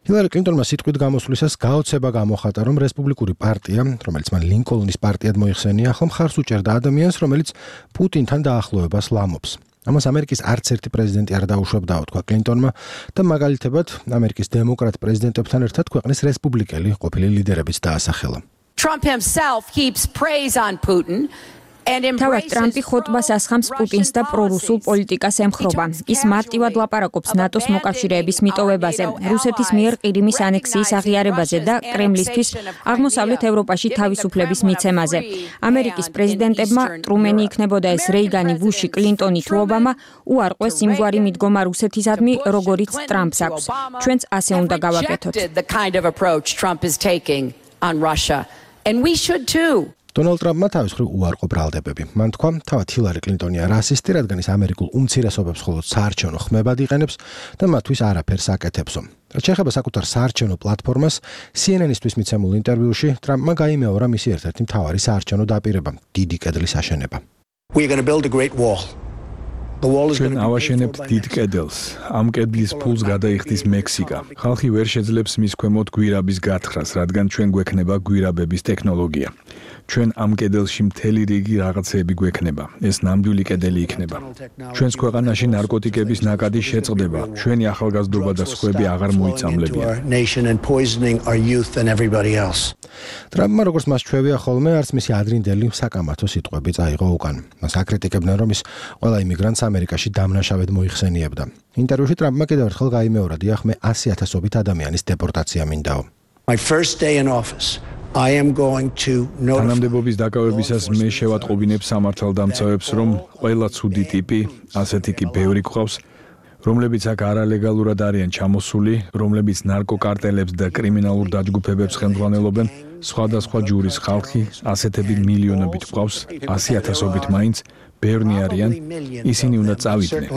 ჰილარი კლინტონმა სიტყვით გამოსვლისას გაოცება გამოხატა, რომ რესპუბლიკური პარტია, რომელიც მან ლინკოლნის პარტიად მოიხსენია, ახლა მხარს უჭერდა ადამიანს, რომელიც პუტინთან დაახლოებას ლამობს. ამას ამერიკის არც ერთი პრეზიდენტი არ დაუშვებდაო, თქვა კლინტონმა და მაგალითებად ამერიკის დემოკრატ პრეზიდენტებთან ერთად ქვეყნის რესპუბლიკელი ყოფილი ლიდერებიც დაასახელა. Trump himself heaps praise on Putin. თავად ტრამპი ხოტბას ასხამს პუტინს და პრორუსულ პოლიტიკას ემხრობა. ის მარტივად ლაპარაკობს ნატოს მოკავშირეების მიტოვებაზე, რუსეთის მიერ ყირიმის ანექსიის აღიარებაზე და კრემლისთვის აღმოსავლეთ ევროპაში თავისუფლების მიცემაზე. ამერიკის პრეზიდენტებმა, ტრუმენი იქნებოდა ეს რეიგანი, ბუში, კლინტონი თუ ობამა, უარყვეს იმგვარი მიდგომა რუსეთისადმი, როგორიც ტრამპს აქვს. ჩვენც ასე უნდა გავაკეთოთ. დონალდ ტრამპმა თავის მხრივ უარყო ბრალდებები. მან თქვა, თავად ჰილარი კლინტონია რასისტი, რადგან ის ამერიკულ უმცირესობებს მხოლოდ საარჩევნო ხმებად იყენებს და მათთვის არაფერს აკეთებსო. რაც შეეხება საკუთარ საარჩევნო პლატფორმას, C N N-ისთვის მიცემულ ინტერვიუში ტრამპმა გაიმეორა მისი ერთ-ერთი მთავარი საარჩევნო დაპირება, დიდი კედლის აშენება. We're going to build a great wall. ჩვენ ავაშენებთ დიდ კედელს. ამ კედლის ფულს გადაიხდის მექსიკა. ხალხი ვერ შეძლებს მის ქვემოთ გვირაბის გათხრას, რადგან ჩვენ გვექნება გვირაბების ტექნოლოგია. ჩვენ ამ კედელში მთელი რიგი რაღაცეები გვექნება. ეს ნამდვილი კედელი იქნება. ჩვენს ქვეყანაში ნარკოტიკების ნაკადი შეწყდება. ჩვენი ახალგაზრდობა და სხვები აღარ მოიწამლებიან. ტრამპმა როგორც მას ჩვევია ხოლმე, არც მისი ადრინდელი საკამათო სიტყვები წაიღო უკან. მას აკრიტიკებდნენ, რომ ის ყველა იმიგრანტს ამერიკაში დამნაშავედ მოიხსენიებდა. ინტერვიუში ტრამპმა კიდევ ერთხელ გაიმეორა, დიახ, მე ასი ათასობით ადამიანის დეპორტაცია მინდაო. My first day in office. I am going to notify თანამდებობის დაკავებისას მე შევატყობინებ სამართალდამცავებს, რომ ყველა ცუდი ტიპი, ასეთი კი ბევრი გვყავს, რომლებიც აქ არალეგალურად არიან ჩამოსული, რომლებიც ნარკოკარტელებს და კრიმინალურ დაჯგუფებებს ხელმძღვანელობენ, სხვადასხვა ჯურის ხალხი, ასეთები მილიონობით გვყავს, ასი ათასობით მაინც, ბევრნი არიან, ისინი უნდა წავიდნენ.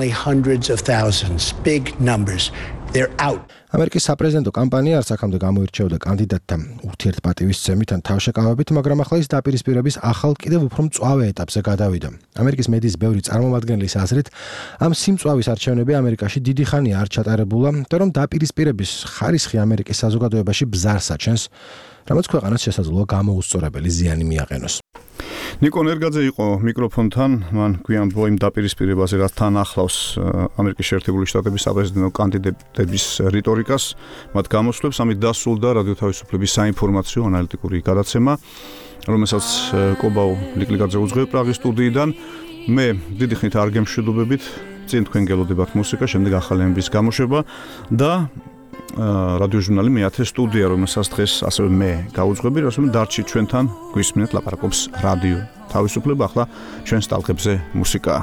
ამერიკის საპრეზიდენტო კამპანია არც აქამდე გამოირჩეოდა კანდიდატთა ურთიერთპატივისცემით ან თავშეკავებით, მაგრამ ახლა ის დაპირისპირების ახალ კიდევ უფრო მწვავე ეტაპზე გადავიდა. ამერიკის მედიის ბევრი წარმომადგენლის აზრით, ამ სიმწვავის არჩევნები ამერიკაში დიდი ხანია არ ჩატარებულა და რომ დაპირისპირების ხარისხი ამერიკის საზოგადოებაში ბზარს აჩენს, რამაც ქვეყანას შესაძლოა გამოუსწორებელი ზიანი მიაყენოს. ნიკო ნერგაძე იყო მიკროფონთან, მან გვიანბო იმ დაპირისპირებაზე, რაც თან ახლავს ამერიკის შეერთებული შტატების საპრეზიდენტო კანდიდატების რიტორიკას, მათ გამოსვლებს, ამით დასრულდა რადიო თავისუფლების საინფორმაციო ანალიტიკური გადაცემა, რომელსაც კობაუ ლიკლიკაძე უძღვევ პრაღის სტუდიიდან. მე დიდი ხნით არ გემშვიდობებით, წინ თქვენ გელოდებათ მუსიკა, შემდეგ ახალი ამბის გამოშვება და რადიო ჟურნალი მეათე სტუდია, რომელსაც დღეს ასევე მე გაუძღვები, რასაც დარჩი ჩვენთან გვისმინეთ ლაპარაკობს რადიო თავისუფლება, ახლა ჩვენს ტალღებზე მუსიკაა.